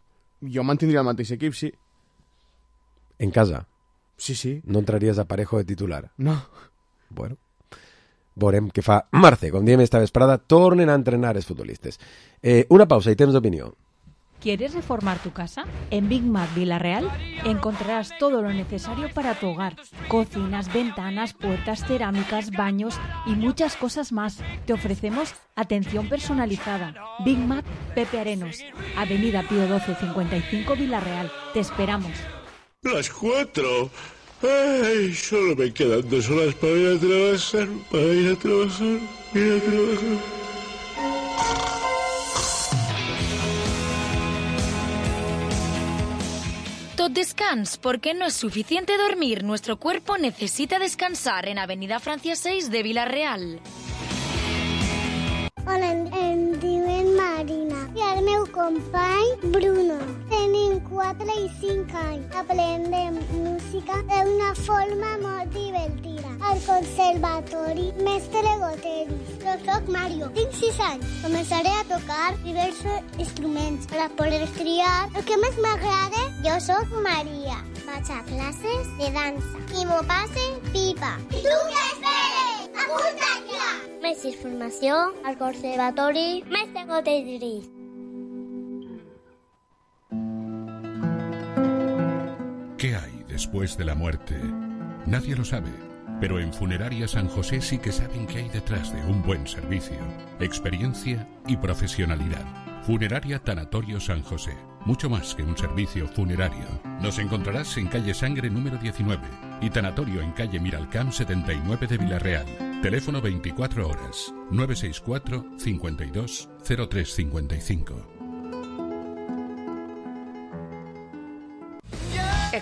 Jo mantindria el mateix equip, sí. En casa. Sí, sí. No entraries a Parejo de titular. No. Bueno. Veurem què fa Marce. Com diem esta vesprada, tornen a entrenar els futbolistes. Eh, una pausa i temps d'opinió. ¿Quieres reformar tu casa? En Big Mac Villarreal encontrarás todo lo necesario para tu hogar. Cocinas, ventanas, puertas, cerámicas, baños y muchas cosas más. Te ofrecemos atención personalizada. Big Mac Pepe Arenos, Avenida Pío doce cincuenta y cinco Villarreal. Te esperamos. Las cuatro. Ay, solo me quedan dos horas para ir a trabajar, para ir a trabajar, ir a trabajar. Tot descans, porque no es suficiente dormir. Nuestro cuerpo necesita descansar en Avenida Francia seis de Villarreal. Hola, em, em diuen Marina i el meu company Bruno. Tenim quatre i cinc anys. Aprendem música d'una forma molt divertida. Al conservatori Mestre Goteris. Jo soc Mario, tinc sis anys. Començaré a tocar diversos instruments per a poder triar el que més m'agrada. Jo soc Maria. Vaig a classes de dansa i m'ho passe pipa. I tu què esperes? Apunta't ja! Més informació al Conservatori Mestre Goteris. ¿Qué hay después de la muerte? Nadie lo sabe, pero en Funeraria San José sí que saben qué hay detrás de un buen servicio, experiencia y profesionalidad. Funeraria Tanatorio San José, mucho más que un servicio funerario. Nos encontrarás en calle Sangre número diecinueve y Tanatorio en calle Miralcamp setenta y nueve de Villarreal. Teléfono veinticuatro horas, nueve seis cuatro, cincuenta y dos, cero tres cincuenta y cinco.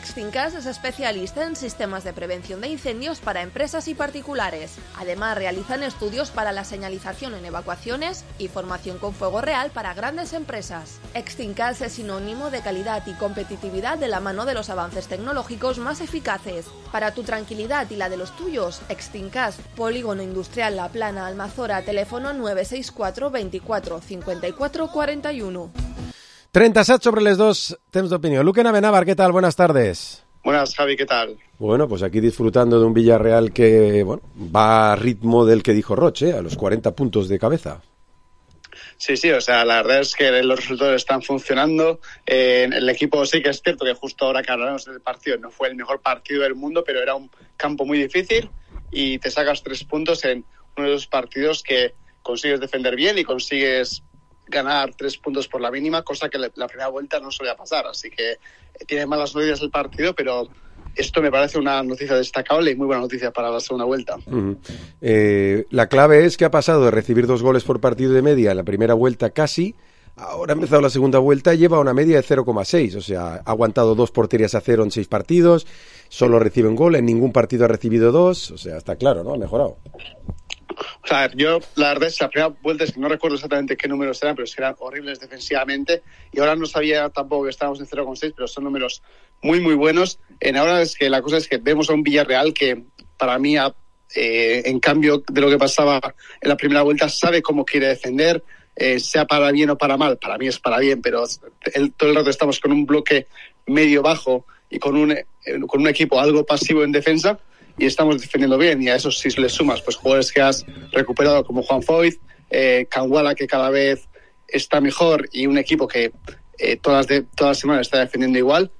Extincas es especialista en sistemas de prevención de incendios para empresas y particulares. Además, realizan estudios para la señalización en evacuaciones y formación con fuego real para grandes empresas. Extincas es sinónimo de calidad y competitividad de la mano de los avances tecnológicos más eficaces. Para tu tranquilidad y la de los tuyos, Extincas, Polígono Industrial La Plana, Almazora, teléfono nueve seis cuatro veinticuatro cincuenta y cuatro cuarenta y uno. treinta y siete sobre les dos, temps d'opinió. Luque Navenávar, ¿qué tal? Buenas tardes. Buenas, Javi, ¿qué tal? Bueno, pues aquí disfrutando de un Villarreal que bueno, va a ritmo del que dijo Roche, a los cuarenta puntos de cabeza. Sí, sí, o sea, la verdad es que los resultados están funcionando. Eh, el equipo sí que es cierto que justo ahora que hablamos del partido no fue el mejor partido del mundo, pero era un campo muy difícil y te sacas tres puntos en uno de esos partidos que consigues defender bien y consigues ganar tres puntos por la mínima, cosa que la primera vuelta no solía pasar. Así que tiene malas noticias el partido, pero esto me parece una noticia destacable y muy buena noticia para la segunda vuelta. Uh-huh. Eh, la clave es que ha pasado de recibir dos goles por partido de media en la primera vuelta casi, ahora ha empezado la segunda vuelta y lleva una media de cero coma seis, o sea, ha aguantado dos porterías a cero en seis partidos, solo recibe un gol, en ningún partido ha recibido dos, o sea, está claro, ¿no? Ha mejorado. O sea, yo la verdad es que la primera vuelta es que no recuerdo exactamente qué números eran, pero es que eran horribles defensivamente y ahora no sabía tampoco que estábamos en cero coma seis, pero son números muy muy buenos. En ahora es que la cosa es que vemos a un Villarreal que para mí ha, eh, en cambio de lo que pasaba en la primera vuelta, sabe cómo quiere defender, eh, sea para bien o para mal. Para mí es para bien, pero el, todo el rato estamos con un bloque medio bajo y con un, eh, con un equipo algo pasivo en defensa y estamos defendiendo bien, y a eso si le sumas pues jugadores que has recuperado como Juan Foyth, eh, Kangwala que cada vez está mejor y un equipo que eh, todas, de, todas las semanas está defendiendo igual,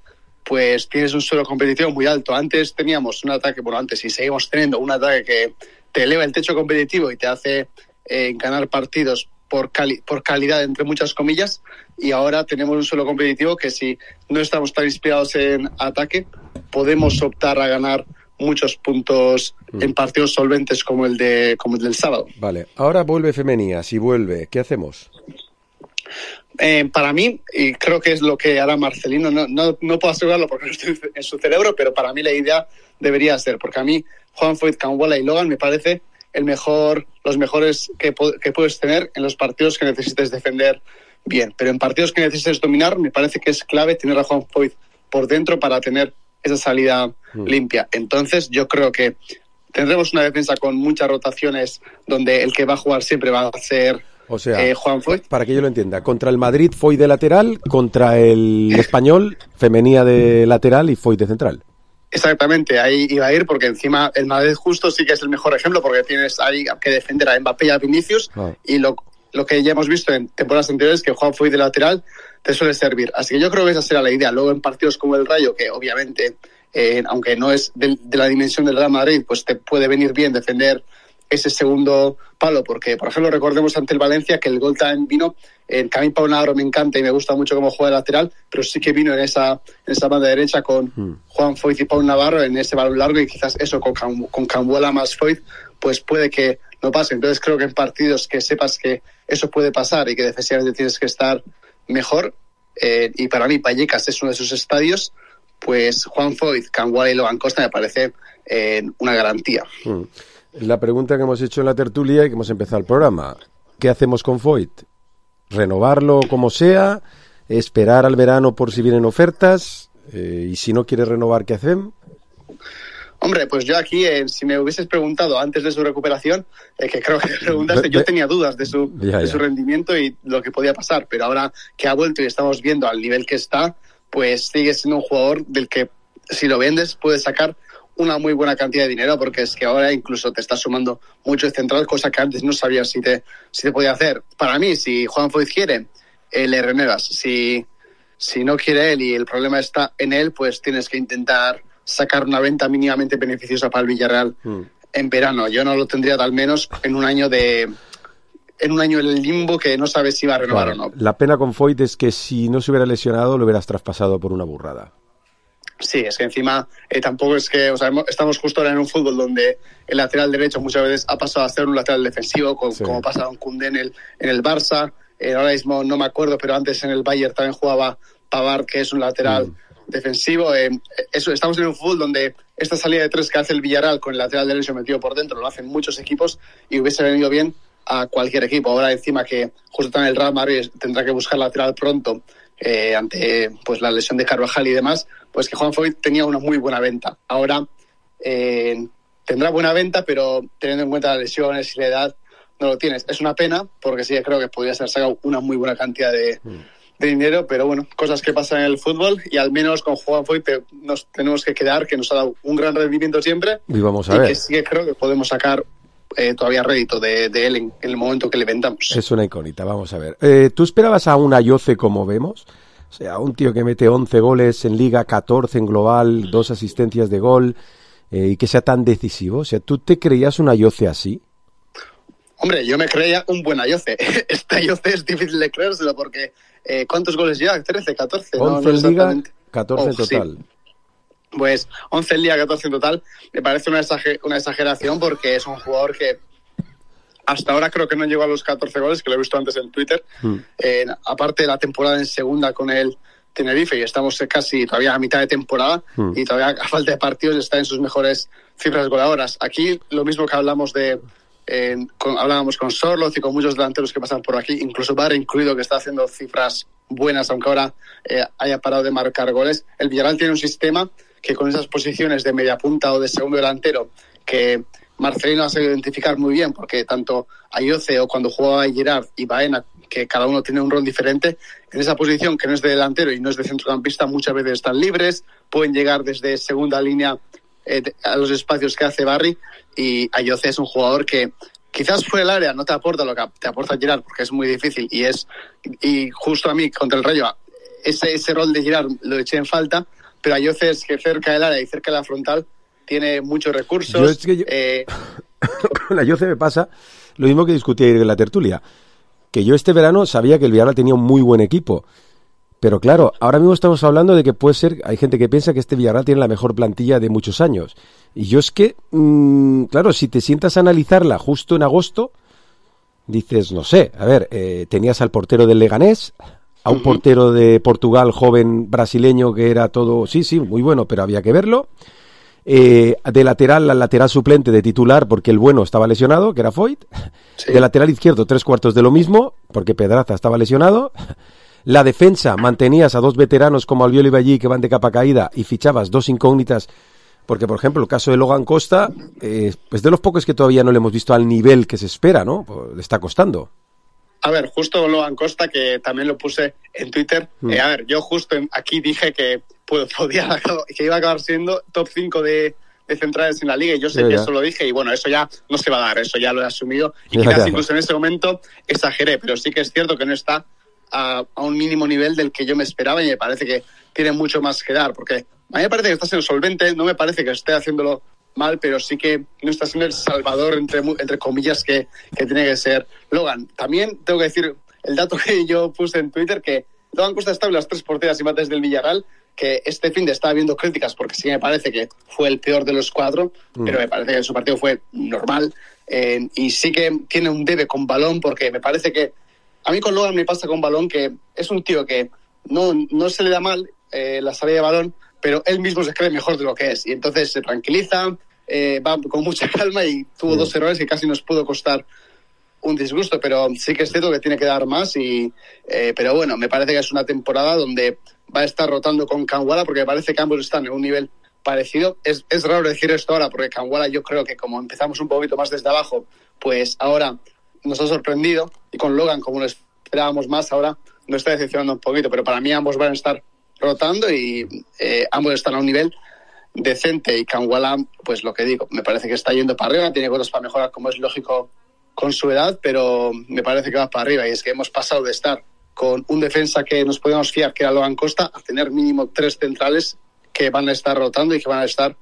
pues tienes un suelo competitivo muy alto. Antes teníamos un ataque, bueno antes y seguimos teniendo un ataque que te eleva el techo competitivo y te hace eh, ganar partidos por, cali- por calidad entre muchas comillas, y ahora tenemos un suelo competitivo que si no estamos tan inspirados en ataque podemos optar a ganar muchos puntos mm. en partidos solventes como el de como el del sábado. Vale, ahora vuelve Femenía, si vuelve, ¿qué hacemos? Eh, para mí, y creo que es lo que hará Marcelino, no, no, no puedo asegurarlo porque no estoy en su cerebro, pero para mí la idea debería ser, porque a mí Juan Foyth, Kangwala y Logan me parece el mejor, los mejores que, que puedes tener en los partidos que necesites defender bien, pero en partidos que necesites dominar me parece que es clave tener a Juan Foyth por dentro para tener esa salida mm. limpia. Entonces yo creo que tendremos una defensa con muchas rotaciones donde el que va a jugar siempre va a ser o sea, eh, Juan Foyth. Para que yo lo entienda, contra el Madrid Foyth de lateral, contra el Español Femenía de lateral y Foyth de central. Exactamente, ahí iba a ir porque encima el Madrid justo sí que es el mejor ejemplo porque tienes ahí que defender a Mbappé y a Vinicius ah. y lo, lo que ya hemos visto en temporadas anteriores que Juan Foyth de lateral te suele servir. Así que yo creo que esa será la idea. Luego en partidos como el Rayo, que obviamente, eh, aunque no es de, de la dimensión del Real Madrid, pues te puede venir bien defender ese segundo palo, porque por ejemplo recordemos ante el Valencia que el gol también vino, eh, que a mí Pau Navarro me encanta y me gusta mucho cómo juega de lateral, pero sí que vino en esa en esa banda derecha con mm. Juan Foyth y Pau Navarro en ese balón largo y quizás eso con, con Kangwala más Foyth pues puede que no pase. Entonces creo que en partidos que sepas que eso puede pasar y que defensivamente tienes que estar mejor, eh, y para mí Vallecas es uno de esos estadios, pues Juan Foyth, Kangwala y Logan Costa me parece eh, una garantía. Mm. La pregunta que hemos hecho en la tertulia y que hemos empezado el programa, ¿qué hacemos con Foyth? ¿Renovarlo como sea? ¿Esperar al verano por si vienen ofertas? Eh, ¿Y si no quiere renovar, qué hacemos? Hombre, pues yo aquí, eh, si me hubieses preguntado antes de su recuperación, eh, que creo que me preguntaste, yo tenía dudas de su, ya, de su rendimiento y lo que podía pasar, pero ahora que ha vuelto y estamos viendo al nivel que está, pues sigue siendo un jugador del que si lo vendes puedes sacar una muy buena cantidad de dinero, porque es que ahora incluso te está sumando mucho el central, cosa que antes no sabías si te, si te podía hacer. Para mí, si Juan Foyth quiere, eh, le renuevas. Si, si no quiere él y el problema está en él, pues tienes que intentar sacar una venta mínimamente beneficiosa para el Villarreal mm. en verano. Yo no lo tendría al menos en un año de en un año en el limbo que no sabes si va a renovar claro. o no. La pena con Foyth es que si no se hubiera lesionado lo hubieras traspasado por una burrada. Sí, es que encima eh, tampoco es que, o sea, estamos justo ahora en un fútbol donde el lateral derecho muchas veces ha pasado a ser un lateral defensivo, con, sí. como pasa con Koundé en el, en el Barça. Eh, ahora mismo no me acuerdo, pero antes en el Bayern también jugaba Pavard, que es un lateral mm. defensivo. Eh, eso, estamos en un fútbol donde esta salida de tres que hace el Villarreal con el lateral derecho metido por dentro lo hacen muchos equipos y hubiese venido bien a cualquier equipo. Ahora encima que justo también el Real Madrid tendrá que buscar lateral pronto eh, ante pues la lesión de Carvajal y demás, pues que Juan Foyt tenía una muy buena venta. Ahora eh, tendrá buena venta, pero teniendo en cuenta las lesiones y la edad, no lo tienes. Es una pena, porque sí que creo que podría ser sacado una muy buena cantidad de, mm. de dinero, pero bueno, cosas que pasan en el fútbol, y al menos con Juan Foyt nos tenemos que quedar, que nos ha dado un gran rendimiento siempre, y vamos a y ver. que sí que creo que podemos sacar eh, todavía rédito de, de él en, en el momento que le vendamos. Es una incógnita, vamos a ver. Eh, ¿Tú esperabas a un Ayoce como vemos? O sea, un tío que mete once goles en Liga, catorce en global, dos asistencias de gol, eh, y que sea tan decisivo. O sea, ¿tú te creías un Ayoce así? Hombre, yo me creía un buen Ayoce. Este Ayoce es difícil de creérselo porque eh, ¿cuántos goles lleva? trece, catorce. once no, no en Liga, catorce en oh, total. Sí. Pues once en Liga, catorce en total. Me parece una, exager- una exageración porque es un jugador que hasta ahora creo que no llegó a los catorce goles, que lo he visto antes en Twitter. Mm. Eh, aparte de la temporada en segunda con el Tenerife, y estamos casi todavía a mitad de temporada, mm. y todavía a falta de partidos está en sus mejores cifras goleadoras. Aquí lo mismo que hablamos de... Eh, con, hablábamos con Sorloz y con muchos delanteros que pasan por aquí, incluso Barre incluido, que está haciendo cifras buenas, aunque ahora eh, haya parado de marcar goles. El Villarreal tiene un sistema que con esas posiciones de media punta o de segundo delantero, que Marcelino ha sabido identificar muy bien, porque tanto Ayoce o cuando jugaba Girard y Baena, que cada uno tiene un rol diferente, en esa posición que no es de delantero y no es de centrocampista, muchas veces están libres, pueden llegar desde segunda línea eh, a los espacios que hace Barry, y Ayoce es un jugador que quizás fuera del área no te aporta lo que te aporta Girard, porque es muy difícil, y es y justo a mí contra el Rayo ese, ese rol de Girard lo eché en falta, pero Ayoce es que cerca del área y cerca de la frontal tiene muchos recursos. Yo es que yo... Eh... Con Ayoce me pasa lo mismo que discutí ayer en la tertulia, que yo este verano sabía que el Villarreal tenía un muy buen equipo, pero claro, ahora mismo estamos hablando de que puede ser, hay gente que piensa que este Villarreal tiene la mejor plantilla de muchos años, y yo es que, mmm, claro, si te sientas a analizarla justo en agosto, dices, no sé, a ver, eh, tenías al portero del Leganés, a un uh-huh. portero de Portugal joven brasileño que era todo, sí, sí, muy bueno, pero había que verlo. Eh, de lateral al lateral suplente de titular porque el bueno estaba lesionado, que era Foyt. Sí. De lateral izquierdo tres cuartos de lo mismo porque Pedraza estaba lesionado. La defensa mantenías a dos veteranos como Albiol y Ballí que van de capa caída y fichabas dos incógnitas porque, por ejemplo, el caso de Logan Costa eh, es de los pocos que todavía no le hemos visto al nivel que se espera, ¿no? Pues le está costando. A ver, justo Logan Costa, que también lo puse en Twitter, mm. eh, a ver, yo justo aquí dije que pues, podía, que iba a acabar siendo top cinco de, de centrales en la liga, y yo sé ya, que ya. eso lo dije, y bueno, eso ya no se va a dar, eso ya lo he asumido, y quizás ya, incluso ya. en ese momento exageré, pero sí que es cierto que no está a, a un mínimo nivel del que yo me esperaba, y me parece que tiene mucho más que dar, porque a mí me parece que está siendo solvente, no me parece que esté haciéndolo mal, pero sí que no está siendo el salvador, entre, entre comillas, que, que tiene que ser Logan. También tengo que decir el dato que yo puse en Twitter, que Logan Costa estaba en las tres porteras y mates del Villarreal, que este fin de estaba viendo críticas, porque sí me parece que fue el peor de los cuatro, mm. pero me parece que su partido fue normal, eh, y sí que tiene un debe con balón, porque me parece que a mí con Logan me pasa con balón que es un tío que no, no se le da mal eh, la salida de balón, pero él mismo se cree mejor de lo que es, y entonces se tranquiliza, eh, va con mucha calma, y tuvo sí. dos errores que casi nos pudo costar un disgusto, pero sí que es cierto que tiene que dar más, y eh, pero bueno, me parece que es una temporada donde va a estar rotando con Kangwala, porque me parece que ambos están en un nivel parecido. Es, es raro decir esto ahora, porque Kangwala yo creo que como empezamos un poquito más desde abajo, pues ahora nos ha sorprendido, y con Logan, como lo esperábamos más, ahora nos está decepcionando un poquito, pero para mí ambos van a estar rotando, y eh, ambos están a un nivel decente, y Kangwala, pues lo que digo, me parece que está yendo para arriba, tiene cosas para mejorar, como es lógico con su edad, pero me parece que va para arriba, y es que hemos pasado de estar con un defensa que nos podíamos fiar, que era Logan Costa, a tener mínimo tres centrales que van a estar rotando y que van a estar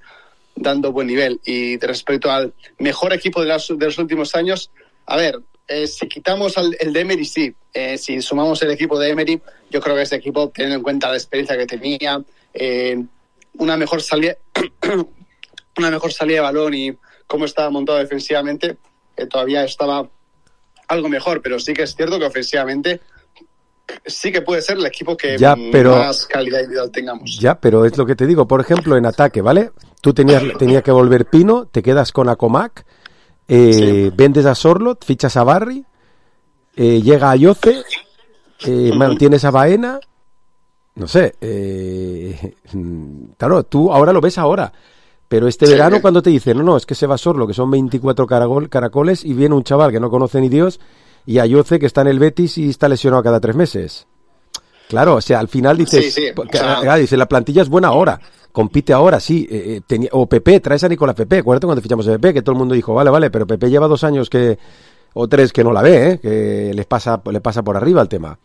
dando buen nivel. Y respecto al mejor equipo de, las, de los últimos años, a ver, eh, si quitamos al, el de Emery, sí, eh, si sumamos el equipo de Emery, yo creo que ese equipo, teniendo en cuenta la experiencia que tenía, eh, una mejor salida una mejor salida de balón y cómo estaba montado defensivamente, eh, todavía estaba algo mejor, pero sí que es cierto que ofensivamente sí que puede ser el equipo que ya, pero, más calidad individual tengamos. Ya, pero es lo que te digo. Por ejemplo, en ataque, ¿vale? Tú tenías tenía que volver Pino, te quedas con Acomac, eh, sí. vendes a Sorlot, fichas a Barry, eh, llega a Yoce, eh, uh-huh. mantienes a Baena, no sé. Eh, claro, tú ahora lo ves ahora. Pero este sí, verano, cuando te dicen, no, no, es que se va Sorlo, que son veinticuatro caracol, caracoles, y viene un chaval que no conoce ni Dios, y Ayoce, que está en el Betis y está lesionado cada tres meses. Claro, o sea, al final dices, sí, sí, o sea, dice, la plantilla es buena ahora, compite ahora, sí. Eh, tenía, o Pepe, traes a Nicolás Pepe, acuérdate cuando fichamos a Pepe, que todo el mundo dijo, vale, vale, pero Pepe lleva dos años que, o tres que no la ve, ¿eh? Que les pasa, le pasa por arriba el tema.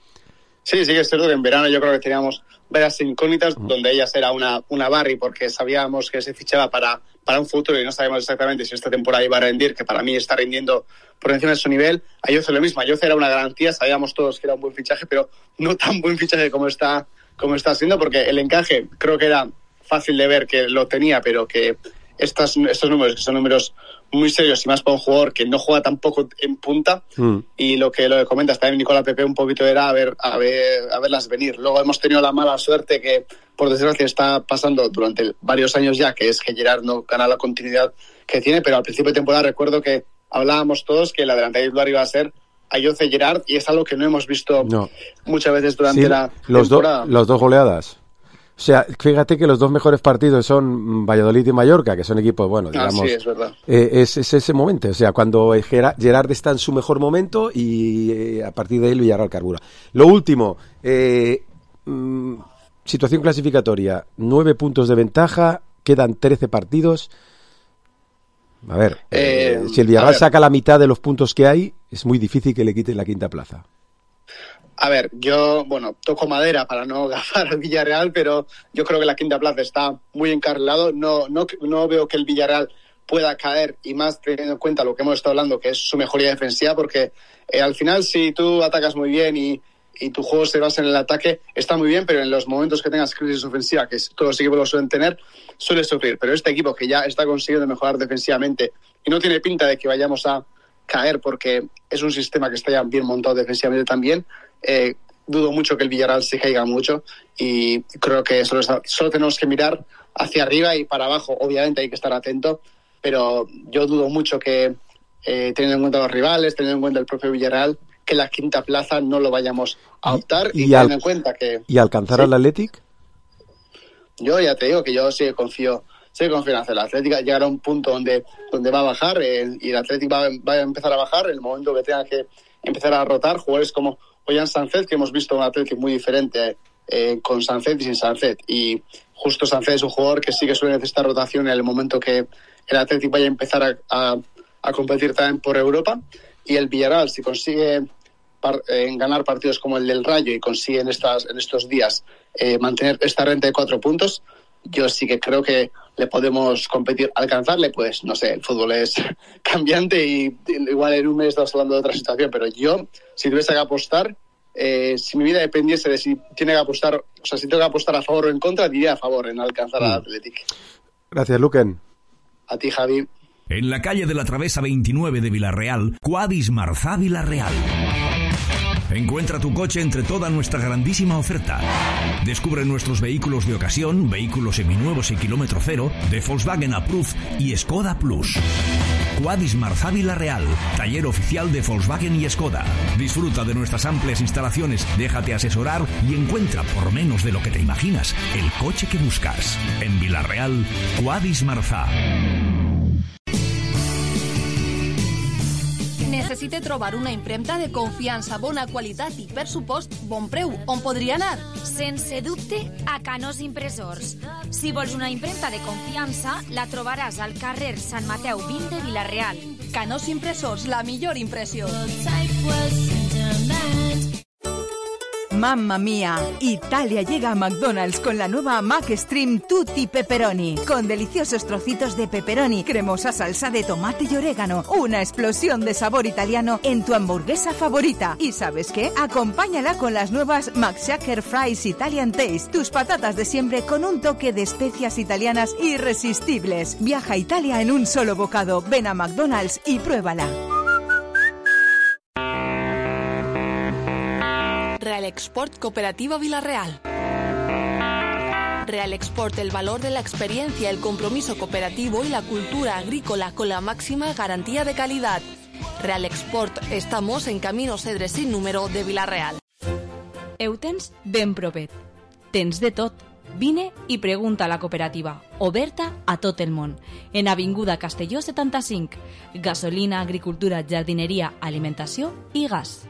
Sí, sí que es cierto que en verano yo creo que teníamos varias incógnitas, uh-huh. donde ellas era una, una Barry, porque sabíamos que se fichaba para, para un futuro y no sabíamos exactamente si esta temporada iba a rendir, que para mí está rindiendo por encima de su nivel. Ayoce lo mismo, Ayoce era una garantía, sabíamos todos que era un buen fichaje, pero no tan buen fichaje como está, como está siendo, porque el encaje creo que era fácil de ver que lo tenía, pero que estas, estos números, que son números muy serios y más para un jugador que no juega tampoco en punta, mm. y lo que lo que comentas también Nicolás Pepe un poquito era a ver, a ver a verlas venir. Luego hemos tenido la mala suerte que por desgracia está pasando durante varios años ya, que es que Gerard no gana la continuidad que tiene, pero al principio de temporada recuerdo que hablábamos todos que la delantera titular iba a ser Ayoce Gerard, y es algo que no hemos visto no. muchas veces durante sí, la los temporada. Do, los dos goleadas. O sea, fíjate que los dos mejores partidos son Valladolid y Mallorca, que son equipos, bueno, digamos... Ah, sí, es verdad. Eh, es, es ese momento, o sea, cuando Gerard está en su mejor momento y eh, a partir de ahí Villarreal carbura. Lo último, eh, mmm, situación clasificatoria, nueve puntos de ventaja, quedan trece partidos. A ver, eh, eh, si el Villarreal saca la mitad de los puntos que hay, es muy difícil que le quiten la quinta plaza. A ver, yo, bueno, toco madera para no gafar al Villarreal, pero yo creo que la quinta plaza está muy encarrilado. No, no, no veo que el Villarreal pueda caer, y más teniendo en cuenta lo que hemos estado hablando, que es su mejoría defensiva, porque eh, al final si tú atacas muy bien y, y tu juego se basa en el ataque, está muy bien, pero en los momentos que tengas crisis ofensiva, que todos los equipos lo suelen tener, suele sufrir. Pero este equipo que ya está consiguiendo mejorar defensivamente y no tiene pinta de que vayamos a caer, porque es un sistema que está ya bien montado defensivamente también, Eh, dudo mucho que el Villarreal se caiga mucho, y creo que solo, está, solo tenemos que mirar hacia arriba y para abajo. Obviamente hay que estar atento, pero yo dudo mucho que, eh, teniendo en cuenta los rivales, teniendo en cuenta el propio Villarreal, que la quinta plaza no lo vayamos a optar, y, y, y teniendo al, en cuenta que... ¿Y alcanzar ¿sí? al Athletic? Yo ya te digo que yo sí confío, sí confío en hacer. El Athletic llegará a un punto donde, donde va a bajar, eh, y el Athletic va, va a empezar a bajar en el momento que tenga que empezar a rotar jugadores como Ollán Sánchez, que hemos visto un Atlético muy diferente eh, con Sánchez y sin Sánchez. Y justo Sánchez es un jugador que sí que suele necesitar rotación en el momento que el Atlético vaya a empezar a, a, a competir también por Europa. Y el Villarreal, si consigue par, eh, ganar partidos como el del Rayo y consigue en, estas, en estos días eh, mantener esta renta de cuatro puntos, yo sí que creo que le podemos competir, alcanzarle. Pues no sé, el fútbol es cambiante y igual en un mes estamos hablando de otra situación, pero yo, si tuviese que apostar, eh, si mi vida dependiese de si tiene que apostar, o sea, si tengo que apostar a favor o en contra, diría a favor en alcanzar mm. al Athletic. Gracias, Luquen. A ti, Javi. En la calle de la Travesa veintinueve de Vilarreal, Quadis Marzá Vilarreal. Encuentra tu coche entre toda nuestra grandísima oferta. Descubre nuestros vehículos de ocasión, vehículos seminuevos y kilómetro cero, de Volkswagen Approved y Skoda Plus. Quadis Marzá Vilarreal, taller oficial de Volkswagen y Skoda. Disfruta de nuestras amplias instalaciones, déjate asesorar y encuentra, por menos de lo que te imaginas, el coche que buscas. En Vilarreal, Quadis Marzá. Necessite trobar una impremta de confiança, bona qualitat i, per supost, bon preu. On podria anar? Sense dubte, a Canós Impressors. Si vols una impremta de confiança, la trobaràs al carrer Sant Mateu vint de Vilarreal. Canós Impressors, la millor impressió. Mamma mía, Italia llega a McDonald's con la nueva McStream Tutti Pepperoni, con deliciosos trocitos de pepperoni, cremosa salsa de tomate y orégano, una explosión de sabor italiano en tu hamburguesa favorita. ¿Y sabes qué? Acompáñala con las nuevas McShaker Fries Italian Taste, tus patatas de siempre con un toque de especias italianas irresistibles. Viaja a Italia en un solo bocado. Ven a McDonald's y pruébala. Export Cooperativa Villarreal. Real Export, el valor de la experiencia, el compromiso cooperativo y la cultura agrícola con la máxima garantía de calidad. Real Export, estamos en Camino Cedre sin número de Villarreal. Eutens ben propet. Tens de tot. Vine i pregunta a la cooperativa, oberta a tot el món. En Avinguda Castelló setanta-cinc. Gasolina, agricultura, jardineria, alimentació i gas.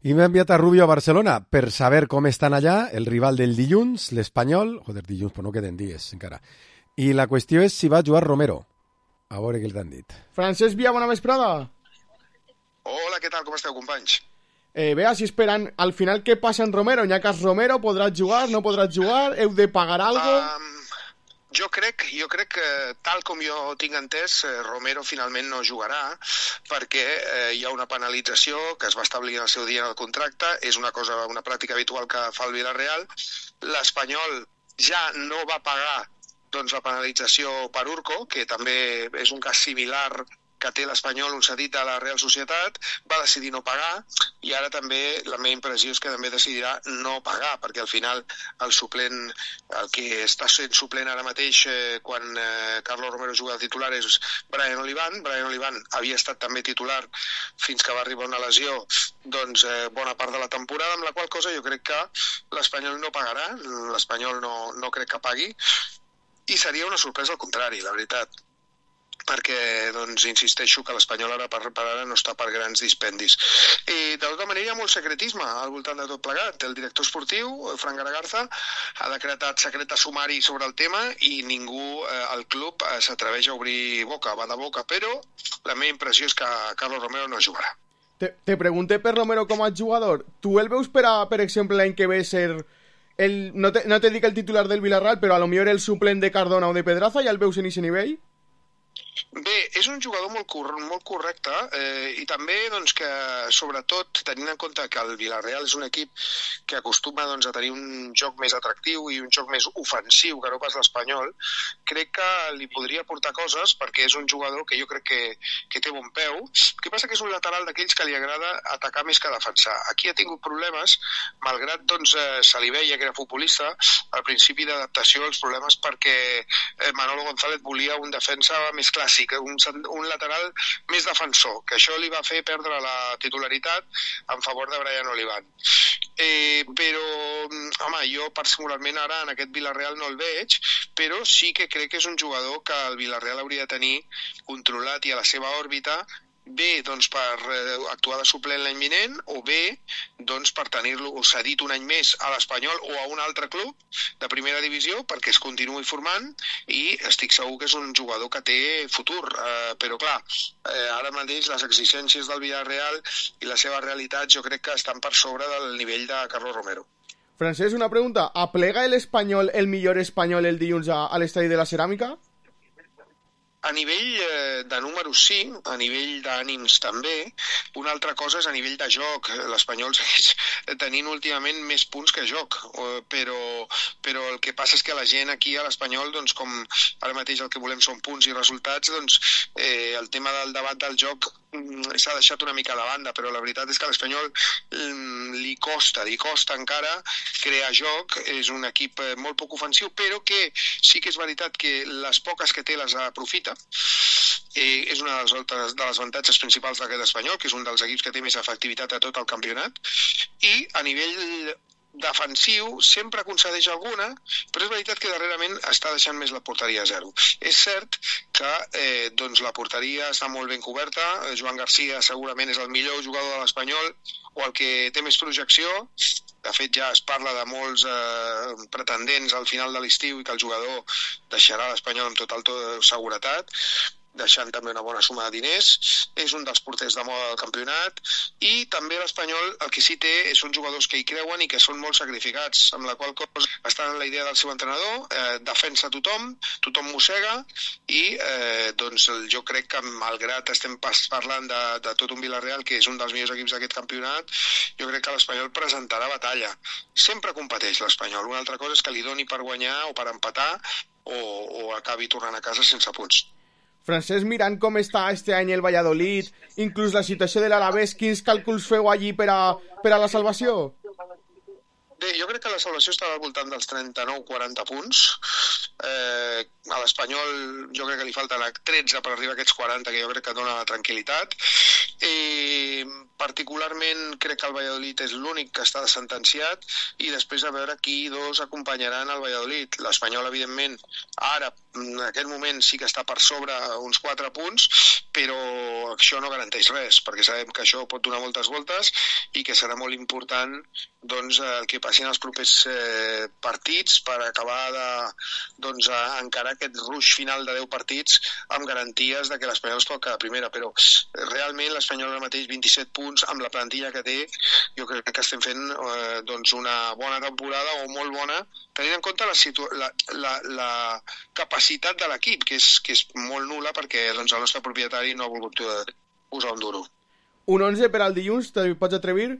I m'ha enviat a Rubio a Barcelona per saber com estan allà el rival del dilluns, l'Espanyol. Joder, dilluns, però no queden dies encara. I la qüestió és si va jugar Romero. A veure què t'han dit. Francesc Via, bona vesprada. Hola, què tal? Com esteu, companys? Eh, bé, així esperant al final què passa en Romero. N'hi ha cas Romero, podràs jugar, no podràs jugar, heu de pagar algo? Um, jo crec, jo crec que tal com jo tinc entès, eh, Romero finalment no jugarà perquè eh, hi ha una penalització que es va establir en el seu dia en el contracte, és una cosa, una pràctica habitual que fa el Villarreal. L'Espanyol ja no va pagar doncs, la penalització per Urco, que també és un cas similar que té l'Espanyol, un cedit de la Real Societat, va decidir no pagar i ara també la meva impressió és que també decidirà no pagar, perquè al final el suplent, el que està sent suplent ara mateix eh, quan eh, Carlos Romero juga de titular és Brian Olivan. Brian Olivan havia estat també titular fins que va arribar una lesió doncs eh, bona part de la temporada, amb la qual cosa jo crec que l'Espanyol no pagarà, l'Espanyol no, no crec que pagui i seria una sorpresa al contrari, la veritat, perquè doncs, insisteixo que l'Espanyol ara per, per ara no està per grans dispendis. I de tota manera hi ha molt secretisme al voltant de tot plegat. El director esportiu, Fran Garagarza, ha decretat secret de sumari sobre el tema i ningú eh, al club eh, s'atreveix a obrir boca, va de boca, però la meva impressió és que Carlos Romero no jugarà. Te, te pregunté per Romero com a jugador. Tu el veus per, a, per exemple, l'any que ve ser... El, no, te, no te dic el titular del Villarreal, però a lo millor el suplent de Cardona o de Pedraza, ja el veus en aquest nivell? Bé, és un jugador molt, cor molt correcte eh, i també doncs, que, sobretot, tenint en compte que el Villarreal és un equip que acostuma doncs, a tenir un joc més atractiu i un joc més ofensiu que no pas l'Espanyol, crec que li podria aportar coses perquè és un jugador que jo crec que, que té bon peu. El que passa que és un lateral d'aquells que li agrada atacar més que defensar. Aquí ha tingut problemes, malgrat doncs, eh, se li veia que era futbolista, al principi d'adaptació als problemes perquè eh, Manolo González volia un defensa més clàssic, un, un lateral més defensor, que això li va fer perdre la titularitat en favor de Brian Olivan. Eh, però, home, jo particularment ara en aquest Villarreal no el veig, però sí que crec que és un jugador que el Villarreal hauria de tenir controlat i a la seva òrbita, bé doncs, per eh, actuar de suplent l'any vinent o bé doncs, per tenir-lo cedit un any més a l'Espanyol o a un altre club de primera divisió perquè es continuï formant i estic segur que és un jugador que té futur, eh, però clar, eh, ara mateix les exigències del Villarreal i la seva realitat jo crec que estan per sobre del nivell de Carlos Romero. Francesc, una pregunta. ¿Aplega el Espanyol el millor espanyol el dilluns a, a l'estadi de la Ceràmica? A nivell eh, de números sí, a nivell d'ànims també. Una altra cosa és a nivell de joc. L'Espanyol segueix tenint últimament més punts que joc, però, però el que passa és que la gent aquí a l'Espanyol, doncs, com ara mateix el que volem són punts i resultats, doncs eh, el tema del debat del joc s'ha deixat una mica de banda, però la veritat és que a l'Espanyol li costa, li costa encara crear joc, és un equip molt poc ofensiu, però que sí que és veritat que les poques que té les aprofita. Eh, és una de les, de les avantatges principals d'aquest Espanyol, que és un dels equips que té més efectivitat a tot el campionat, i a nivell defensiu sempre concedeix alguna, però és veritat que darrerament està deixant més la porteria a zero. És cert que eh, doncs la porteria està molt ben coberta, Joan Garcia segurament és el millor jugador de l'Espanyol o el que té més projecció. De fet ja es parla de molts eh, pretendents al final de l'estiu i que el jugador deixarà l'Espanyol amb total seguretat, deixant també una bona suma de diners. És un dels porters de moda del campionat i també l'Espanyol el que sí té són jugadors que hi creuen i que són molt sacrificats, amb la qual cosa està en la idea del seu entrenador, eh, defensa tothom, tothom mossega i eh, doncs jo crec que malgrat estem parlant de, de tot un Villarreal que és un dels millors equips d'aquest campionat, jo crec que l'Espanyol presentarà batalla. Sempre competeix l'Espanyol, una altra cosa és que li doni per guanyar o per empatar o, o acabi tornant a casa sense punts. Francesc, mirant com està este any el Valladolid, inclús la situació de l'Alavés, quins càlculs feu allí per a, per a la salvació? Bé, jo crec que la salvació estava al voltant dels trenta-nou quaranta punts. Eh, a l'Espanyol jo crec que li falten tretze per arribar a aquests quaranta, que jo crec que dona la tranquil·litat. Eh, particularment crec que el Valladolid és l'únic que està sentenciat, i després a veure qui dos acompanyaran el Valladolid. L'Espanyol, evidentment, ara, en aquest moment, sí que està per sobre uns quatre punts, però això no garanteix res, perquè sabem que això pot donar moltes voltes i que serà molt important doncs, el que passi en els propers eh, partits per acabar de doncs, encarar aquest ruix final de deu partits amb garanties de que l'Espanyol es pot quedar primera, però realment l'Espanyol ara mateix vint-i-set punts amb la plantilla que té, jo crec que estem fent eh, doncs una bona temporada o molt bona, tenint en compte la, situ- la, la, la capacitat de l'equip, que és, que és molt nul·la perquè doncs, el nostre propietari no ha volgut posar un duro. Un onze per al dilluns, te pots atrevir?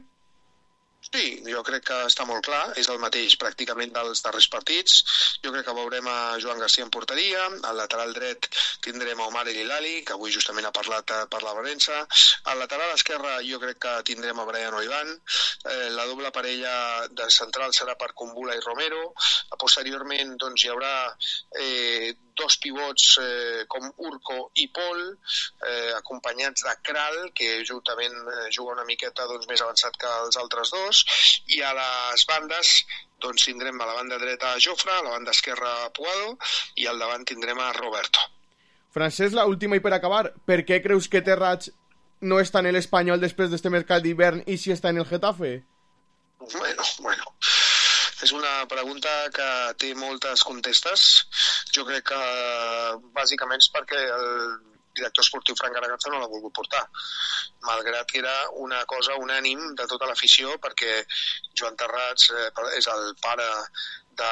Sí, jo crec que està molt clar, és el mateix pràcticament dels darrers partits. Jo crec que veurem a Joan Garcia en porteria, al lateral dret tindrem a Omar El Hilali, que avui justament ha parlat per la València. Al lateral esquerre jo crec que tindrem a Brian Oivan, eh, la doble parella de central serà per Kumbula i Romero. Posteriorment doncs, hi haurà eh, dos pivots eh, com Urco i Pol, eh, acompanyats de Kral, que juntament eh, juga una miqueta doncs, més avançat que els altres dos, i a les bandes doncs, tindrem a la banda dreta a Jofre, a la banda esquerra a Puado, i al davant tindrem a Roberto. Francesc, la última i per acabar, per què creus que Terrats no està en l'Espanyol després d'este mercat d'hivern i si està en el Getafe? Bueno, bueno... És una pregunta que té moltes contestes. Jo crec que bàsicament és perquè el director esportiu Fran Garagazza no l'ha volgut portar, malgrat que era una cosa unànim de tota l'afició, perquè Joan Terrats eh, és el pare de,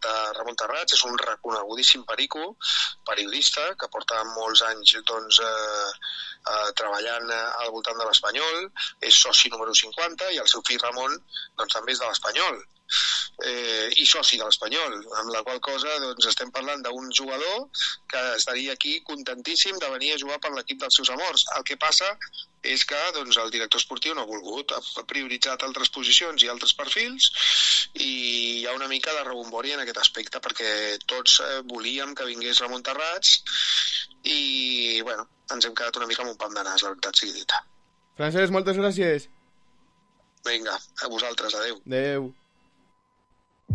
de Ramon Terrats, és un reconegudíssim perico, periodista, que porta molts anys doncs, eh, eh, treballant al voltant de l'Espanyol, és soci número cinquanta, i el seu fill Ramon doncs, també és de l'Espanyol. Eh, i soci de l'Espanyol, amb la qual cosa doncs, estem parlant d'un jugador que estaria aquí contentíssim de venir a jugar per l'equip dels seus amors. El que passa és que doncs, el director esportiu no ha volgut, ha prioritzat altres posicions i altres perfils, i hi ha una mica de rebombori en aquest aspecte, perquè tots eh, volíem que vingués Ramon Terrats i bueno, ens hem quedat una mica amb un pam de nas, la veritat sigui dita. Francesc, moltes gràcies. Vinga, a vosaltres, adeu. Adeu.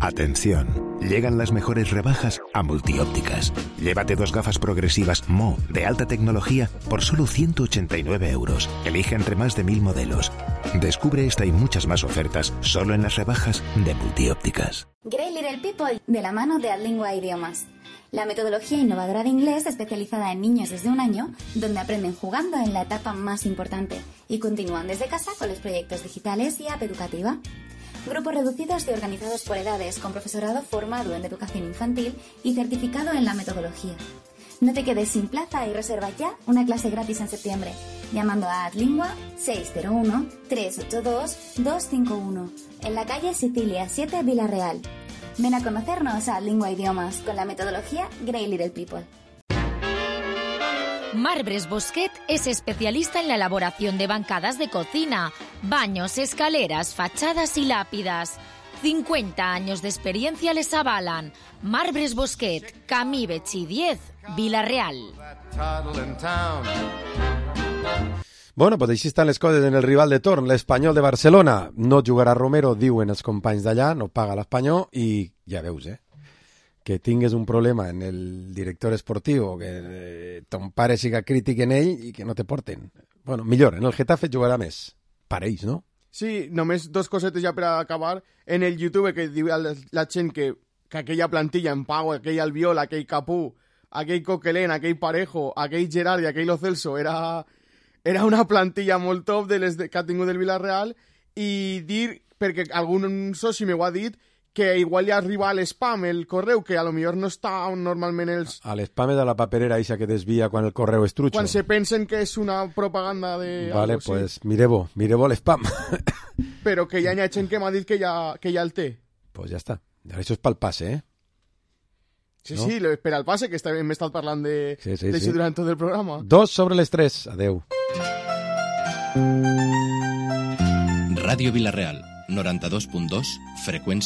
Atención, llegan las mejores rebajas a Multiópticas. Llévate dos gafas progresivas Mo de alta tecnología por solo ciento ochenta y nueve euros. Elige entre más de mil modelos. Descubre esta y muchas más ofertas solo en las rebajas de Multiópticas. Grey Little People, de la mano de Adlingua Idiomas. La metodología innovadora de inglés especializada en niños desde un año, donde aprenden jugando en la etapa más importante y continúan desde casa con los proyectos digitales y app educativa. Grupos reducidos y organizados por edades, con profesorado formado en educación infantil y certificado en la metodología. No te quedes sin plaza y reserva ya una clase gratis en septiembre, llamando a Adlingua seis cero uno, tres ocho dos, dos cinco uno, en la calle Sicilia siete, Villarreal. Ven a conocernos a Adlingua Idiomas con la metodología Grey Little People. Marbres Bosquet es especialista en la elaboración de bancadas de cocina, baños, escaleras, fachadas y lápidas. cincuenta años de experiencia les avalan. Marbres Bosquet, Camí Betxí diez, Vila-real. Bueno, pues així estan les coses en el rival de torn, l'Espanyol de Barcelona. No jugarà Romero, diuen els companys d'allà, no paga l'Espanyol i ja veus, eh? Que tingues un problema en el director esportiu, que eh, ton pare siga crític en ell i que no te porten. Bueno, millor, en el Getafe jugarà més. Pareix, no? Sí, només dos cosetes ja per acabar. En el YouTube que diu la gent que, que aquella plantilla en Pau, aquell Albiol, aquell Capú, aquell Coquelin, aquell Parejo, aquell Gerard i aquell Lo Celso era, era una plantilla molt top de les de, que ha tingut el Villarreal, i dir, perquè algun soci m'ho ha dit, que igual ja arriba a l'espam, el correu, que a lo millor no està on normalment els... A l'espam és de la paperera eixa que desvia quan el correu és trucho. Quan se pensen que és una propaganda de... Vale, algo, pues sí. mireu, mireu l'espam. Però que ja hi ha gent que m'ha dit que ja, que ja el té. Pues ja està. Això és pel passe, eh? Sí, no? sí, lo espera el pase, que està, m'he estat parlant de, sí, sí, de sí. durant tot el programa. Dos sobre les tres. Adeu. Ràdio Vilareal, noranta-dos punt dos, freqüència